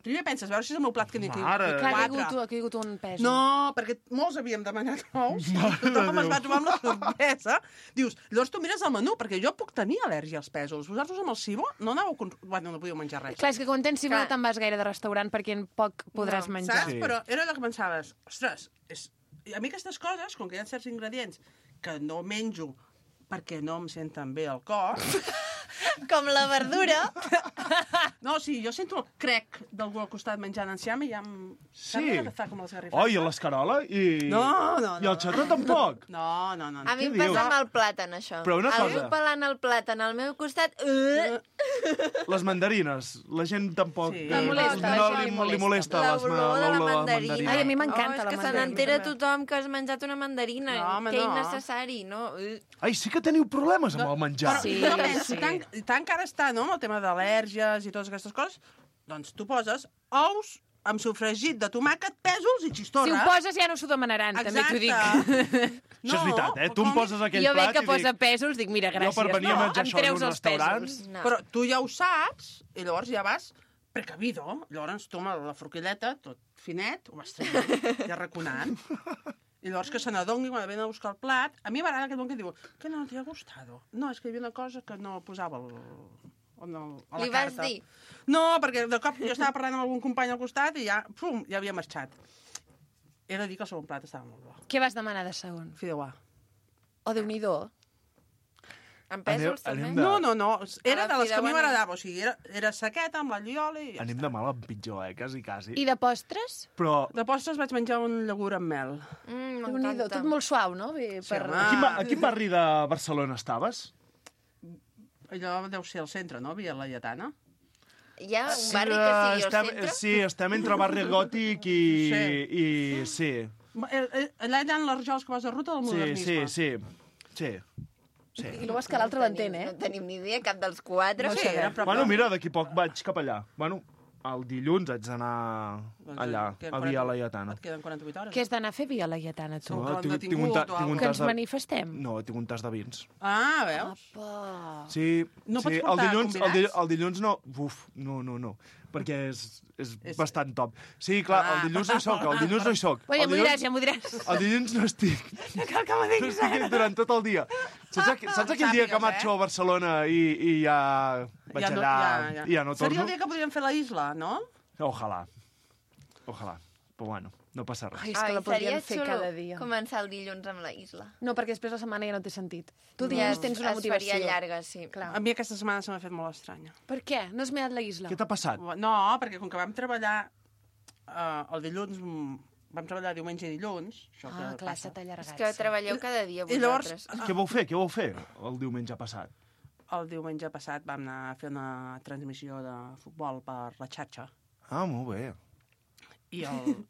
K: primer penses, a veure si és el meu plat que n'hi tinc.
J: Mare.
A: Clar, que
K: Quatre.
A: ha caigut un pèsol.
K: No, perquè molts havíem demanat ous. Tothom es va trobar amb la sorpresa. Dius, llavors tu mires el menú, perquè jo puc tenir al·lèrgia als pèsols. Vosaltres amb el cibo no anàveu... Bueno, no podíeu menjar res.
A: Clar, és que quan tens cibo no
B: Clar.
A: te'n vas gaire de restaurant perquè en poc podràs menjar.
K: Saps?
J: Sí.
K: Però era allò que pensaves, ostres, a mi aquestes coses, com que hi ha certs ingredients que no menjo perquè no em senten bé al cor...
B: Com la verdura.
K: No, sí, jo sento el crec d'algú al costat menjant enciam i ja em...
J: Sí.
K: Saps que fa com les garrifes?
J: Oh, i l'escarola?
K: No.
J: I el xató tampoc?
K: No.
B: A mi em
J: Què dius?
B: passa amb el plàtan, això.
J: Però una
B: Algú
J: cosa.
B: pelant el plàtan al meu costat...
J: Les mandarines. La gent tampoc...
K: Sí.
J: no
A: molesta,
J: no
A: això
J: li molesta
B: L'olor de la mandarina.
A: Ai, a mi m'encanta
B: és
A: la
B: que se
A: mandarina.
B: n'entera tothom que has menjat una mandarina.
K: No, home,
B: que
K: no.
B: innecessari, no?
J: Ai, sí que teniu problemes amb el menjar.
A: Sí,
K: Jo penso,
A: sí.
K: tant que ara està, no?, amb el tema d'al·lèrgies i totes aquestes coses, doncs tu poses ous amb sofregit de tomàquet, pèsols i xistorra.
A: Si ho poses ja no s'ho demanaran, també t'ho dic.
J: Això és veritat, Tu em poses aquell
A: Jo veig
J: plat
A: que
J: i
A: posa
J: dic...
A: pèsols, dic, mira, gràcies.
J: Jo per venir a menjar
A: em
J: això en
A: treus
J: un
A: els
J: restaurant...
A: pèsols.
B: No.
K: Però tu ja ho saps, i llavors ja vas precavido. Llavors tu amb la forquilleta, tot finet, ho vas traient, ja raconant. I llavors que se n'adongui quan venen a buscar el plat. A mi m'agrada aquest bon que diu, que no t'hi ha gustat? No, és que hi havia una cosa que no posava a la
B: Li
K: carta.
B: vas dir?
K: No, perquè de cop jo estava parlant amb algun company al costat i ja, pum, ja havia marxat. He de dir que el segon plat estava molt bo.
A: Què vas demanar de segon?
K: Fideuà.
A: Oh, Déu-n'hi-do.
B: Amb pèsols, també?
J: anem de-
K: No. Era
B: A la
K: de les que a mi
B: fideuà
K: m'agradava. O sigui, era sequeta, amb l'all i oli... I ja
J: Anem
K: està.
J: de mal en pitjor, quasi.
A: I de postres?
J: Però
K: De postres vaig menjar un llegum amb mel.
A: Déu-n'hi-do,
B: M'encanta.
A: tot molt suau, no? Bé,
K: Sí, home.
J: a quin barri de Barcelona estaves?
K: Allò deu ser al centre, no? Via la Lletana.
B: Hi ha un barri que sigui al
J: estem,
B: centre?
J: Sí, estem entre barri gòtic i... Sí.
K: Allà hi ha les rajoles que vas a ruta del modernisme.
J: Sí.
A: I no és que l'altre l'entén,
B: No tenim ni idea, cap dels quatre.
K: No sé,
J: Bueno, mira, d'aquí poc vaig cap allà. Bueno, el dilluns haig d'anar allà, a Via Laietana.
K: Et queden 48 hores.
A: Què has d'anar a fer Via Laietana, tu?
K: No,
J: tinc
K: tingut
J: un
K: o
J: tinc un
K: alguna
A: Que ens
J: tas de...
A: manifestem?
J: No, tinc un tas de vins.
K: Ah, veus?
J: Sí,
K: No pots
J: sí,
K: portar convidats?
J: el dilluns no. Uf, no, perquè és bastant top. Sí, clar, el dilluns no hi soc,
A: Bueno, ja m'ho diràs.
J: El dilluns no estic.
A: No cal que m'ho
J: No
A: diguis
J: estic durant tot el dia. Saps aquell dia que marxo a Barcelona i ja vaig allà i ja no torno?
K: Seria el dia que podríem fer la isla, no?
J: Ojalà. Però bueno, no passa res.
A: Ai, és que la podríem fer cada dia.
B: Començar el dilluns amb la isla.
A: No, perquè després la setmana ja no té sentit. Tu dilluns tens una motivació.
B: Es faria llarga, sí.
A: Clar.
K: A mi aquesta setmana se m'ha fet molt estranya.
A: Per què? No has mirat la isla?
J: Què t'ha passat?
K: No, perquè com que vam treballar el dilluns, vam treballar diumenge i dilluns, això que
A: clar,
K: passa.
A: s'ha allargat.
B: És que treballeu cada dia
K: I llavors,
B: vosaltres.
J: Què vau fer el diumenge passat?
K: el diumenge passat vam anar a fer una transmissió de futbol per la xarxa.
J: Ah, molt bé.
K: I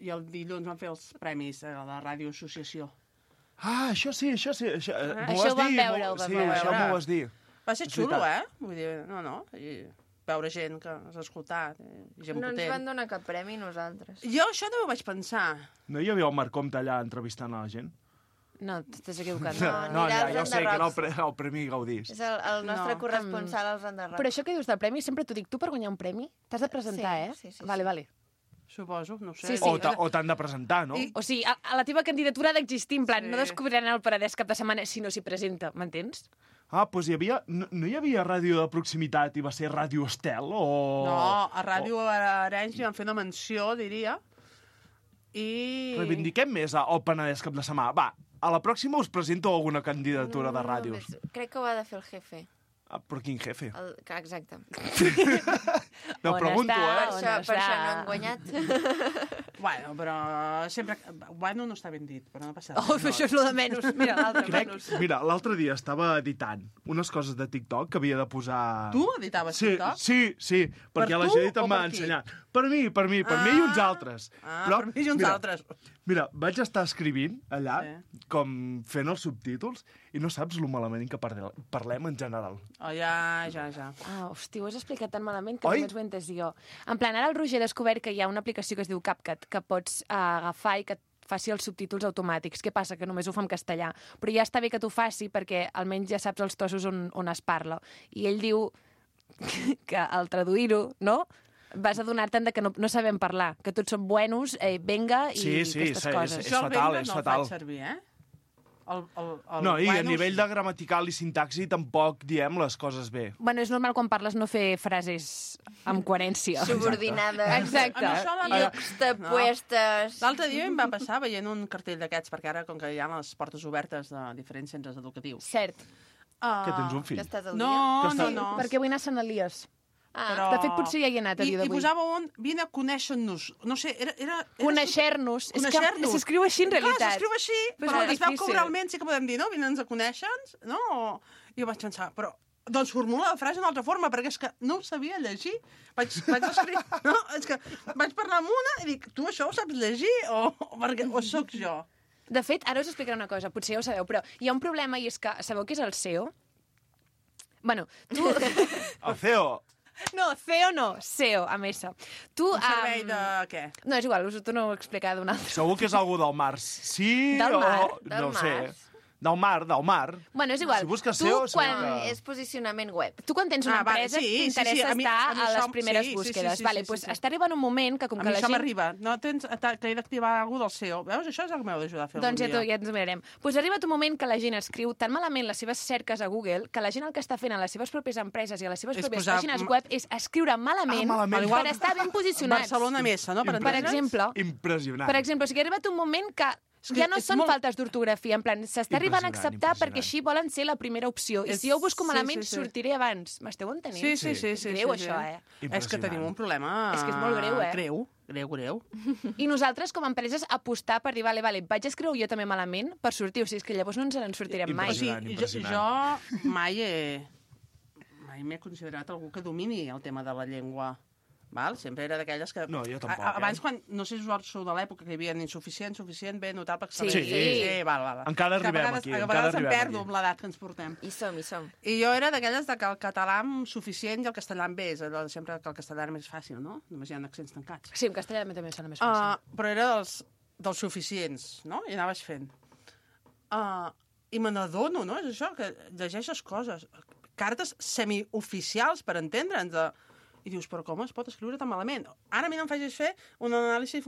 K: el dilluns vam fer els premis a la Ràdio Associació.
J: Ah, això sí. M'ho
A: Això ho
J: vas
A: vam
J: dir,
A: veure, ho vam
J: Sí,
A: veure.
J: això m'ho vas dir.
K: Va ser
J: És
K: xulo,
J: veritat.
K: Vull dir, no. I veure gent que has escoltat, gent
B: No ens
K: potent.
B: van donar cap premi nosaltres.
K: Jo això no ho vaig pensar.
J: No hi havia el Marc Comte allà entrevistant a la gent?
A: No, t'estàs equivocant.
B: No,
J: ja
B: anirà als
J: sé que era
B: enderrocs.
J: el Premi Gaudís.
B: És el nostre
K: No.
B: corresponsal als enderrocs.
A: Però això que dius del premi, sempre t'ho dic, tu per guanyar un premi t'has de presentar,
B: Sí, sí.
A: Vale.
K: Suposo, no ho sé.
A: Sí, sí.
J: O t'han de presentar, no?
A: O sigui, a la teva candidatura ha d'existir, en plan,
K: Sí.
A: no descobriran el Paradès cap de setmana si no s'hi presenta, m'entens?
J: Ah, doncs no hi havia ràdio de proximitat i va ser Ràdio Estel o...
K: No, a Ràdio Arenys li van fer una menció, diria. I...
J: Reivindiquem més el Penedès cap de setmana. Va, a la pròxima us presento alguna candidatura de ràdios.
B: Crec que ho ha de fer el jefe.
J: Ah, però quin jefe?
B: Exacte.
J: No,
A: On
J: pregunto,
A: està?
B: Per això no han guanyat.
K: Bueno, però sempre... Bueno, no està ben dit, però no passa res.
A: Oh, això és lo de menys. Mira, l'altre menys.
J: Mira, l'altre dia estava editant unes coses de TikTok que havia de posar...
K: Tu editaves
J: Sí,
K: TikTok?
J: sí, perquè
K: Per
J: la
K: tu
J: Judit
K: o
J: em va
K: per qui?
J: ensenyar. Per mi i uns altres.
K: Per mi i uns altres.
J: Mira, vaig estar escrivint allà, com fent els subtítols, i no saps lo malament que parlem en general.
K: Oh, ja.
A: Ah, hosti, ho has explicat tan malament que
J: Oi?
A: només ho he entès jo. En plan, ara el Roger ha descobert que hi ha una aplicació que es diu CapCut, que pots agafar i que et faci els subtítols automàtics. Què passa? Que només ho fa en castellà. Però ja està bé que t'ho faci perquè almenys ja saps els trossos on es parla. I ell diu que al traduir-ho, no?, vas adonar-te'n que no sabem parlar, que tots som buenos, venga, i aquestes coses.
J: És fatal, és
K: no
J: fatal.
K: el faig servir, El
J: No, i a
K: buenos-
J: nivell de gramatical i sintaxi tampoc diem les coses bé.
A: Bueno, és normal quan parles no fer frases amb coherència.
B: Subordinades.
A: Exacte.
K: A mi això la-
B: Yuxtapuestes.
K: L'altre dia em va passar veient un cartell d'aquests, perquè ara, com que hi ha les portes obertes de diferents centres educatius...
A: Cert.
J: Que tens un fill?
B: Que estàs al
K: No,
B: dia?
K: no.
A: Perquè vull anar a Sant Elies.
K: Però...
A: De fet, potser ja hi he anat a dia
K: I
A: d'avui.
K: posava vine a conèixer-nos. No sé, era
A: Conèixer-nos. És que
K: Conèixer-nos.
A: s'escriu així, en realitat.
K: Clar, s'escriu així,
A: Però és
K: però
A: molt
K: es veu que
A: difícil.
K: oralment sí que podem dir, no? Vine'ns a conèixer-nos, no? I jo vaig pensar, però... Doncs formula la frase d'una altra forma, perquè és que no ho sabia llegir. Vaig escriure... No, és que vaig parlar amb una i dic, tu això ho saps llegir o sóc jo?
A: De fet, ara us explicaré una cosa, potser ja ho sabeu, però hi ha un problema i és que, sabeu què és el SEO? Bueno, tu...
J: El CEO.
A: No, CEO no, SEO, amb S. Tu,
K: Un servei de què?
A: No, és igual, us ho torno a explicar d'un altre.
J: Segur que és algú del Mars. Sí
A: Del mar?
J: o... No ho sé. Del mar.
A: Bueno, és igual.
J: Si busques
A: Tu,
J: SEO,
A: quan...
J: segur que...
B: És posicionament web.
A: Tu quan tens una
K: Ah, vale,
A: empresa
K: sí,
A: t'interessa
K: sí, sí. A mi
A: estar a les
K: això-
A: primeres
K: sí,
A: búsquedes.
K: sí,
A: Vale,
K: sí,
A: pues
K: sí.
A: està arribant un moment que com
K: A
A: que
K: mi
A: la
K: això
A: gent...
K: m'arriba. No tens que he d'activar algú del SEO. Veus? Això és el que m'heu d'ajudar a fer
A: Doncs
K: algun dia.
A: ja ens ho mirarem. Pues arriba un moment que la gent escriu tan malament les seves cerques a Google que la gent el que està fent a les seves pròpies empreses i a les seves
K: És
A: pròpies
K: posar-
A: pàgines web és escriure malament,
J: malament.
A: per estar ben posicionats.
K: Barcelona Messa, no?
A: Per exemple,
J: Impressionant.
A: o sigui, ha arribat un moment que
K: que
A: ja no
K: és
A: són
K: molt-
A: faltes d'ortografia, en plan, s'està arribant a acceptar
J: Impressionant.
A: perquè així volen ser la primera opció. I
K: És-
A: si jo ho busco
K: sí,
A: malament,
K: sí, sí.
A: sortiré abans. M'esteu entenent?
K: Sí.
A: És greu, això,
K: És que tenim un problema...
A: És que és molt greu,
K: Greu.
A: I nosaltres, com a empreses, apostar per dir, vale, vaig escriure jo també malament per sortir, o sigui, és que llavors no ens en sortirem mai.
K: O sigui,
J: Impressionant.
K: jo mai m'he considerat algú que domini el tema de la llengua val? Sempre era d'aquelles que...
J: No, jo tampoc,
K: Abans, quan, no sé si us sou de l'època que hi havia insuficient, bé, notable, excel·lent.
J: Sí.
K: Val.
J: Encara arribem aquí,
K: A vegades em perdo amb l'edat que ens portem.
B: Hi som.
K: I jo era d'aquelles que el català amb suficient i el castellà amb bé. És allò de sempre que el castellà era més fàcil, no? Només hi ha accents tancats.
A: Sí, en castellà també sona més fàcil.
K: Però era dels suficients, no? I anaves fent. I me n'adono, no? És això, que llegeixes coses. Cartes semioficials, per entendre'ns, i dius, però com es pot escriure tan malament? Ara a mi no em facis fer un anàlisi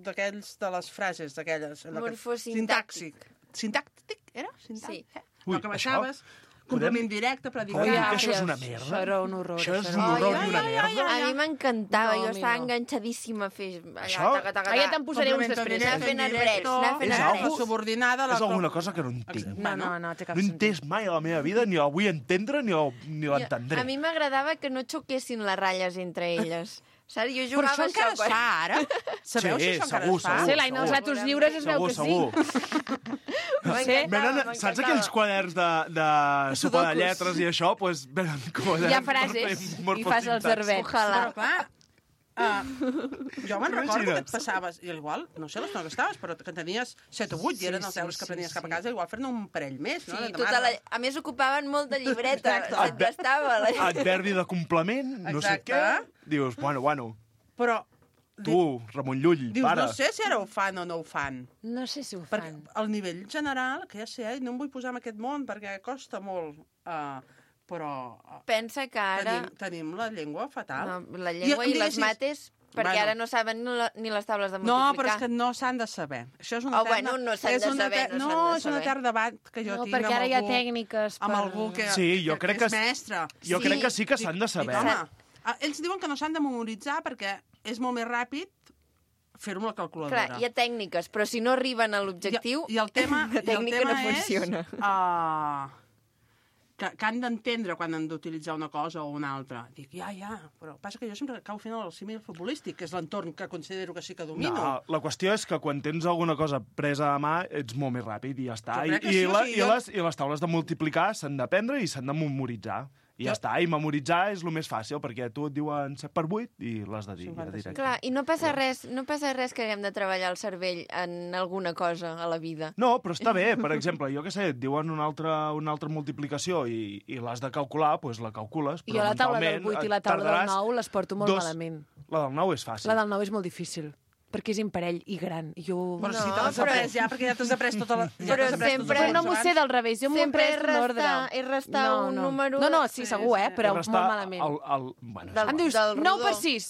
K: d'aquells de les frases, d'aquelles...
B: Morfosintàctic.
K: Sintàctic, era?
B: Sí.
K: El que baixaves, complement directe, predicat...
J: Podem dir que això és una merda?
A: Això era un horror.
J: Això és un horror i una merda?
B: A mi m'encantava, jo estava enganxadíssima a fer...
J: Això?
A: Ja te'n posaré uns després.
B: Anar fent arbrets.
K: Subordinada...
J: És alguna cosa que no entenc.
A: No, té cap
J: No he
A: sentit.
J: entès mai a la meva vida, ni la vull entendre, ni l'entendré.
B: A mi m'agradava que no xoquessin les ratlles entre elles. Saps? Jo
K: Però
B: jugava
K: això encara es fa, ara? Sabeu si això encara es fa?
A: Sí, l'Aina, els ratos lliures es veu que sí.
J: Saps aquells quaderns de sopa de lletres i això? Doncs venen quaderns...
A: Hi ha frases i fas els herbets.
K: Però clar, jo me'n recordo que et passaves, i igual, no sé l'estona que estaves, però que tenies 7 o 8 i eren els deures que prenies cap a casa, igual fer-ne un parell més, no?
B: Sí, a més ocupaven molt de llibreta, se't gastava.
J: Adverbi de complement, no sé què. Dius, bueno.
K: Però...
J: Tu, Ramon Llull,
K: dius,
J: para.
K: no sé si ara ho fan o no ho fan.
A: No sé si ho
K: Perquè
A: fan.
K: al nivell general, que ja sé, no em vull posar en aquest món perquè costa molt, però...
B: Pensa que ara...
K: Tenim la llengua fatal.
B: No, la llengua i les mates, perquè ara no saben ni les taules de multiplicar.
K: No, però és que no s'han de saber. Això és una
B: bueno, no s'han de saber,
K: No, és un etern debat que jo tinc
A: perquè ara hi ha tècniques
K: amb algú que
J: crec
K: és mestre.
J: Jo crec que sí que s'han de saber.
K: Ells diuen que no s'han de memoritzar perquè és molt més ràpid fer-ho amb la calculadora.
B: Clar, hi ha tècniques, però si no arriben a l'objectiu,
K: la
B: tècnica no funciona.
K: Que han d'entendre quan han d'utilitzar una cosa o una altra. Dic, ja, però passa que jo sempre cau fent el símil futbolístic, que és l'entorn que considero que sí que domino.
J: No, la qüestió és que quan tens alguna cosa presa a mà ets molt més ràpid i ja està.
K: I
J: les taules de multiplicar s'han d'aprendre i s'han de memoritzar. I ja està, i memoritzar és el més fàcil, perquè tu et diuen 7 per 8 i l'has de dir.
B: Clar, i no passa res que haguem de treballar el cervell en alguna cosa a la vida.
J: No, però està bé. Per exemple, jo què sé, et diuen una altra multiplicació i l'has de calcular, doncs la calcules.
A: Jo la taula del 8 i la taula del 9 les porto molt malament.
J: La del 9 és fàcil.
A: La del 9 és molt difícil. perquè és imparell i gran.
K: Però si te l'has après ja, perquè ja t'has après tota la...
B: Però sempre...
A: no m'ho sé del revés, jo m'ho he après en ordre.
B: És restar un número...
A: No, sí, segur, però molt malament. Em dius 9 per 6.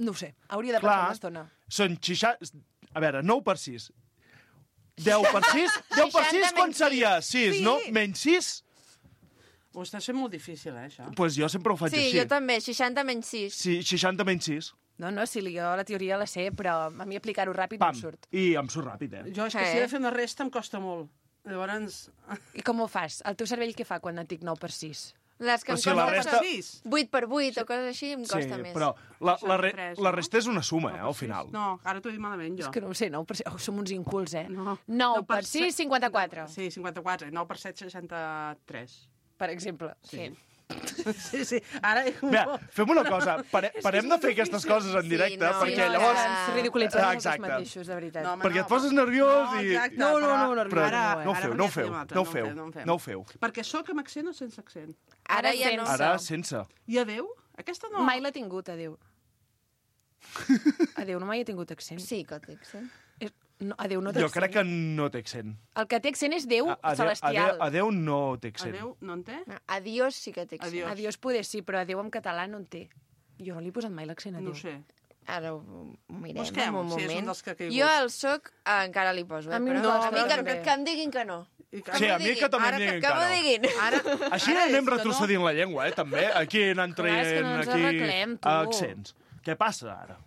A: No ho sé, hauria de passar una estona.
J: Són 60... A veure, 9 per 6. 10 per 6? 10 per 6 quan seria? 6, no? Menys 6?
K: Ho estàs fent molt difícil, això.
J: Doncs jo sempre ho faig així.
B: Sí, jo també, 60 menys 6.
J: Sí, 60 menys 6.
A: No, sí, jo la teoria la sé, però a mi aplicar-ho ràpid no em surt.
J: I em surt ràpid,
K: Jo és que si he de fer una resta em costa molt. Llavors...
A: I com ho fas? El teu cervell què fa quan et dic 9 per 6?
B: Les que em costa 8 per 8 o coses així em costa més.
J: Sí, però la resta és una suma, al final.
K: No, ara t'ho he dit malament, jo.
A: És que no ho sé, 9 per 6... som uns incults, 9 per 6, 54.
K: Sí, 54. 9 per 7, 63.
A: Per exemple.
K: Sí. Sí. Ara...
J: Mira, fem una cosa. Parem de fer aquestes coses en directe, perquè llavors...
A: Ens ridiculitzem nosaltres mateixos, de veritat.
J: Perquè et poses nerviós i...
A: No
J: ho feu.
K: Perquè sóc amb accent o sense accent?
B: Ara ja no.
J: Ara sense.
K: I adeu? Aquesta no.
A: Mai l'ha tingut, adeu. Adeu, no mai he tingut accent.
B: Sí que té accent.
A: No, adeu no té accent.
J: Jo crec que no té accent.
A: El que té accent és Déu celestial.
J: Adeu no té accent.
K: Adeu no en té?
B: Adiós sí que té accent.
A: Adiós poder sí, però adeu en català no en té. Jo no li he posat mai l'accent adeu.
K: No sé.
B: Ara ho mirem
K: Busquem,
B: un moment.
K: Si és un dels que ha caigut.
B: Jo el soc encara li poso,
A: A mi
B: però
A: no,
B: a mi que em diguin que no.
J: Sí, a mi que també em diguin que no.
B: Que m'ho diguin.
J: Així anem retrocedint la llengua, també. Aquí anant traient accents. Què passa ara?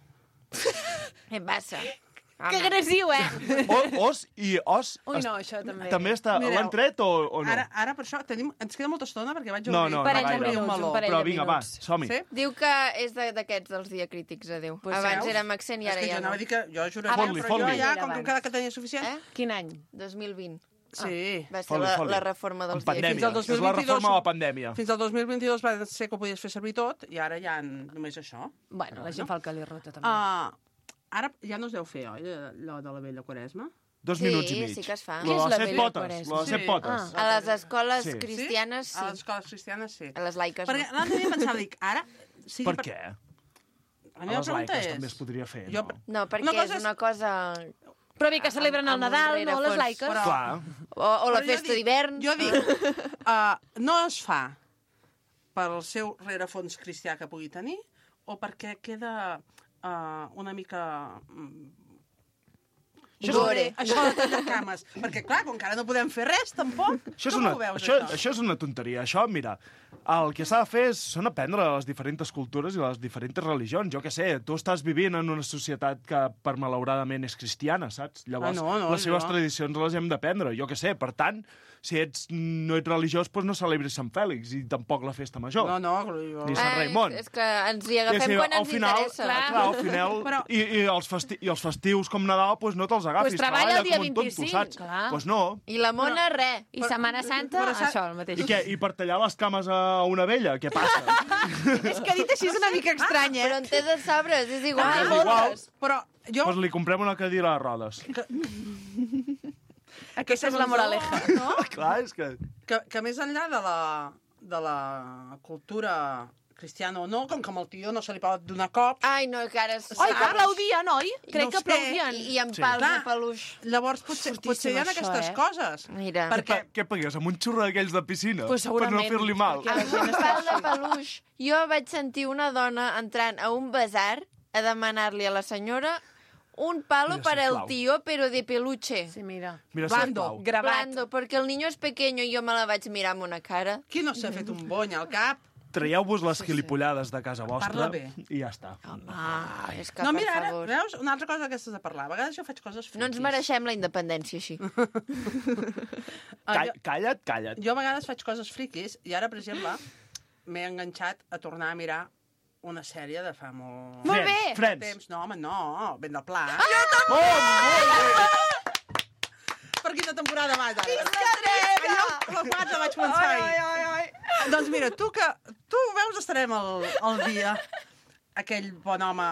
B: Què passa?
A: Que agressiu,
J: Os i os...
A: Ui, no, això també.
J: També està... L'han tret o no?
K: Ara per això ens queda molta estona perquè vaig
J: obrir...
K: No,
J: però vinga, va, som-hi.
B: Diu que és d'aquests dels diacrítics, adeu. Abans era amb accent i ara ja no.
K: És que jo anava a dir que jo juraria, però jo ja, com que cada que tenia suficient...
A: Quin any?
B: 2020.
K: Sí.
B: Va ser la reforma dels
J: pandèmia. És la reforma de la pandèmia.
K: Fins al 2022 va ser que ho podies fer servir tot i ara ja només això.
A: Bueno, la gent fa el que li rota, també.
K: Ara ja no es deu fer, oi, allò de la vella Quaresma?
J: 2 minuts i mig.
B: Sí que es fa.
J: Lo de les 7 potes. Lo de les 7 potes.
B: A les escoles cristianes, sí.
K: A les escoles cristianes, sí.
B: A les laiques, no.
K: Perquè l'altre dia pensava, dic, ara...
J: Per què? A les laiques també es podria fer, no?
B: No, perquè és una cosa...
A: Però bé, que celebren el Nadal, no, les laiques.
J: Clar.
B: O la festa d'hivern.
K: Jo dic, no es fa pel seu rerefons cristià que pugui tenir o perquè queda una mica... Això de tallar cames. Perquè, clar, com que ara no podem fer res, tampoc. Com ho veus,
J: això és una tonteria. Això, mira, el que s'ha de fer són aprendre les diferents cultures i les diferents religions. Jo què sé, tu estàs vivint en una societat que, per malauradament, és cristiana, saps? Llavors, les seves tradicions les hem d'aprendre. Jo què sé, per tant, si no ets religiós, doncs no celebris Sant Fèlix i tampoc la festa major. Ni Sant Raimon.
B: És que ens hi agafem quan ens interessa.
J: Clar, al final... I els festius com Nadal, doncs no te'ls agafis.
A: Pues treballa el dia 25, clar.
J: Doncs no.
B: I la mona, res.
A: I Setmana Santa, això, el mateix.
J: I què? I per tallar les cames a una vella? Què passa?
A: És que dit així és una mica estrany,
B: Però en té de sabres, és igual.
J: És igual.
K: Però jo...
J: Doncs li comprem una cadira de rodes.
A: Aquesta és la moraleja.
K: No?
J: Clar, és que...
K: Que més enllà de la cultura cristiana o no, com que amb el tio no se li pot donar cop...
B: Ai, no, que ara...
A: Oi, que aplaudien, oi? Crec que aplaudien.
B: I amb pals de peluix.
K: Llavors potser hi ha aquestes coses.
B: Mira.
J: Què pagues, amb un xurro d'aquells de piscina?
A: Pues
J: per no fer-li mal.
B: Amb un pal de peluix. Jo vaig sentir una dona entrant a un bazar a demanar-li a la senyora un palo para el tío, pero de peluche.
A: Sí, mira.
K: Blando,
B: Blando, perquè el niño és pequeño i jo me la vaig mirar amb una cara.
K: Qui no s'ha fet un bony al cap?
J: Traieu-vos les gilipollades de casa vostra.
K: Parla bé.
J: I ja està.
B: És que,
K: no, mira,
B: per favor.
K: Veus? Una altra cosa d'aquestes de parlar. A vegades jo faig coses friquis.
B: No ens mereixem la independència, així.
J: Calla't.
K: Jo a vegades faig coses friquis i ara, per exemple, m'he enganxat a tornar a mirar una sèrie de fa molt...
A: Molt bé!
J: Friends.
K: No, home, no. Ben de pla.
A: Jo també!
K: Per quina temporada vas, ara? Allò, la 4 vaig pensar ahir. Doncs mira, tu veus, estarem al dia. Aquell bon home,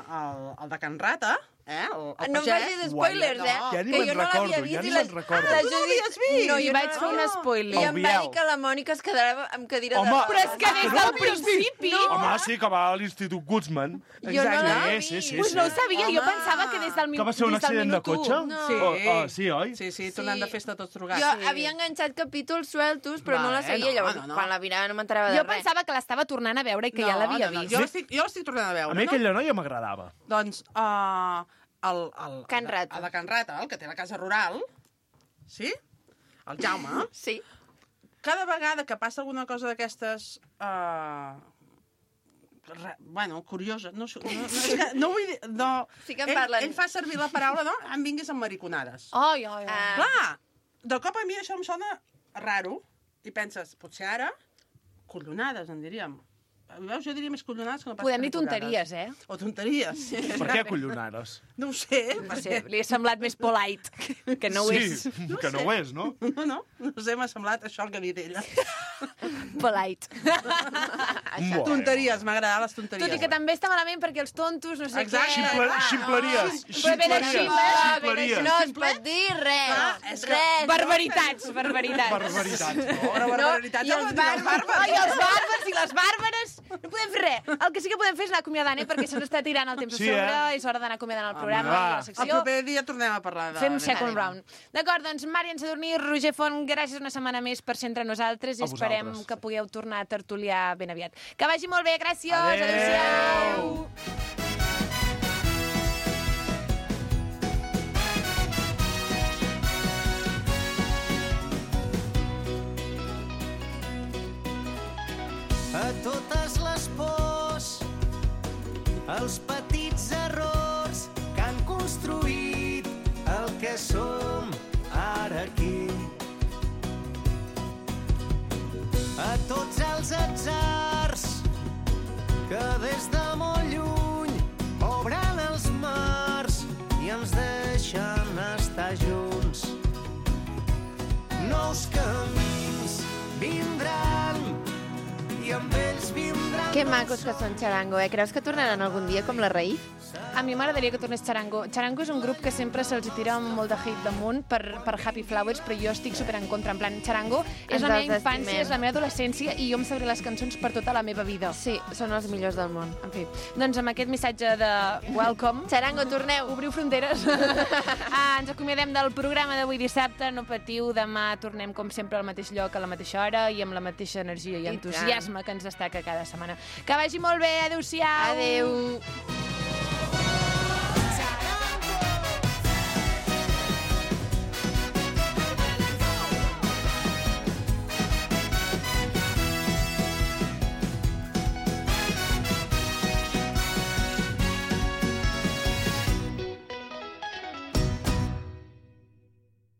K: el de Can Rata, el
B: no em facis spoilers,
J: Ja ni me'n recordo,
B: vist.
J: Tu
K: no l'havies vist?
A: No, jo vaig fer un spoiler.
B: I em va dir que la Mònica es quedava amb cadira de rodes.
A: Però és que des del principi...
J: Home, sí, que va a l'Institut Guzman.
B: Jo no l'he vist.
J: Sí.
A: Pues no ho sabia, jo pensava que des del minut 1.
J: Que va ser un accident de cotxe? Sí, oi?
K: Sí, tornant de festa tots drogats.
B: Jo havia enganxat capítols sueltos, però no la seguia. Llavors, quan la mirava no m'enterava de res.
A: Jo pensava que l'estava tornant a veure i que ja l'havia vist.
K: Jo l'estic tornant a veure.
J: A mi aquella noia m'agradava.
K: Doncs,
B: Can Rata.
K: El de Can Rata, el que té la casa rural, sí? El Jaume.
B: Sí.
K: Cada vegada que passa alguna cosa d'aquestes... bueno, curiosa. No vull dir...
B: Sí que en parlen.
K: Ell fa servir la paraula, no? Em vinguis amb mariconades.
A: Ai.
K: Clar, de cop a mi això em sona raro. I penses, potser ara, collonades, en diríem. Veus, jo diria més collonades que no pas
A: Podem dir
K: mariconades.
A: tonteries,
K: O tonteries.
J: Per què collonades?
K: No ho sé.
A: Li ha semblat més polite, que no ho és.
J: Sí, que no ho és, no?
K: No sé, m'ha semblat això que ha dit ella.
A: Polite.
K: Tonteries, m'agraden les tonteries.
A: Tot i que també està malament perquè els tontos, no sé
K: Exacte.
A: què...
J: Ximpleries.
B: No es pot dir res.
A: Barbaritats.
J: No?
K: Barbaritats.
B: I els bàrbars.
A: Ai, els bàrbars i les bàrbares. No podem fer res. El que sí que podem fer és anar acomiadant, perquè se'ns està tirant el temps a sobre, és hora d'anar acomiadant el programa i la secció.
K: El proper dia tornem a parlar de...
A: Fem second round. D'acord, doncs, Màrian Sadurní, Roger Font, gràcies una setmana més per ser entre nosaltres i esperem que pugueu tornar a tertuliar ben aviat. Que vagi molt bé, gràcies. Adéu-siau.
L: A totes les pors, els petits errors que han construït el que som ara aquí. A tots els atzars que des de molt lluny obren els mars i ens deixen estar junts. No nous camins vindran i amb ells vindran...
B: Que macos que són Charango, eh? Creus que tornaran algun dia com la Raïf?
A: A mi m'agradaria que tornés Charango. Charango és un grup que sempre se'ls tira molt de hate damunt per Happy Flowers, però jo estic super en contra. En plan, Charango és la meva infància, és la meva adolescència i jo em sabré les cançons per tota la meva vida.
B: Sí, són els millors del món.
A: En fi, doncs amb aquest missatge de welcome...
B: Charango, torneu!
A: Obriu fronteres. Ens acomiadem del programa d'avui dissabte. No patiu, demà tornem com sempre al mateix lloc, a la mateixa hora i amb la mateixa energia i entusiasme que ens destaca cada setmana. Que vagi molt bé, adeu-siau!
B: Adeu!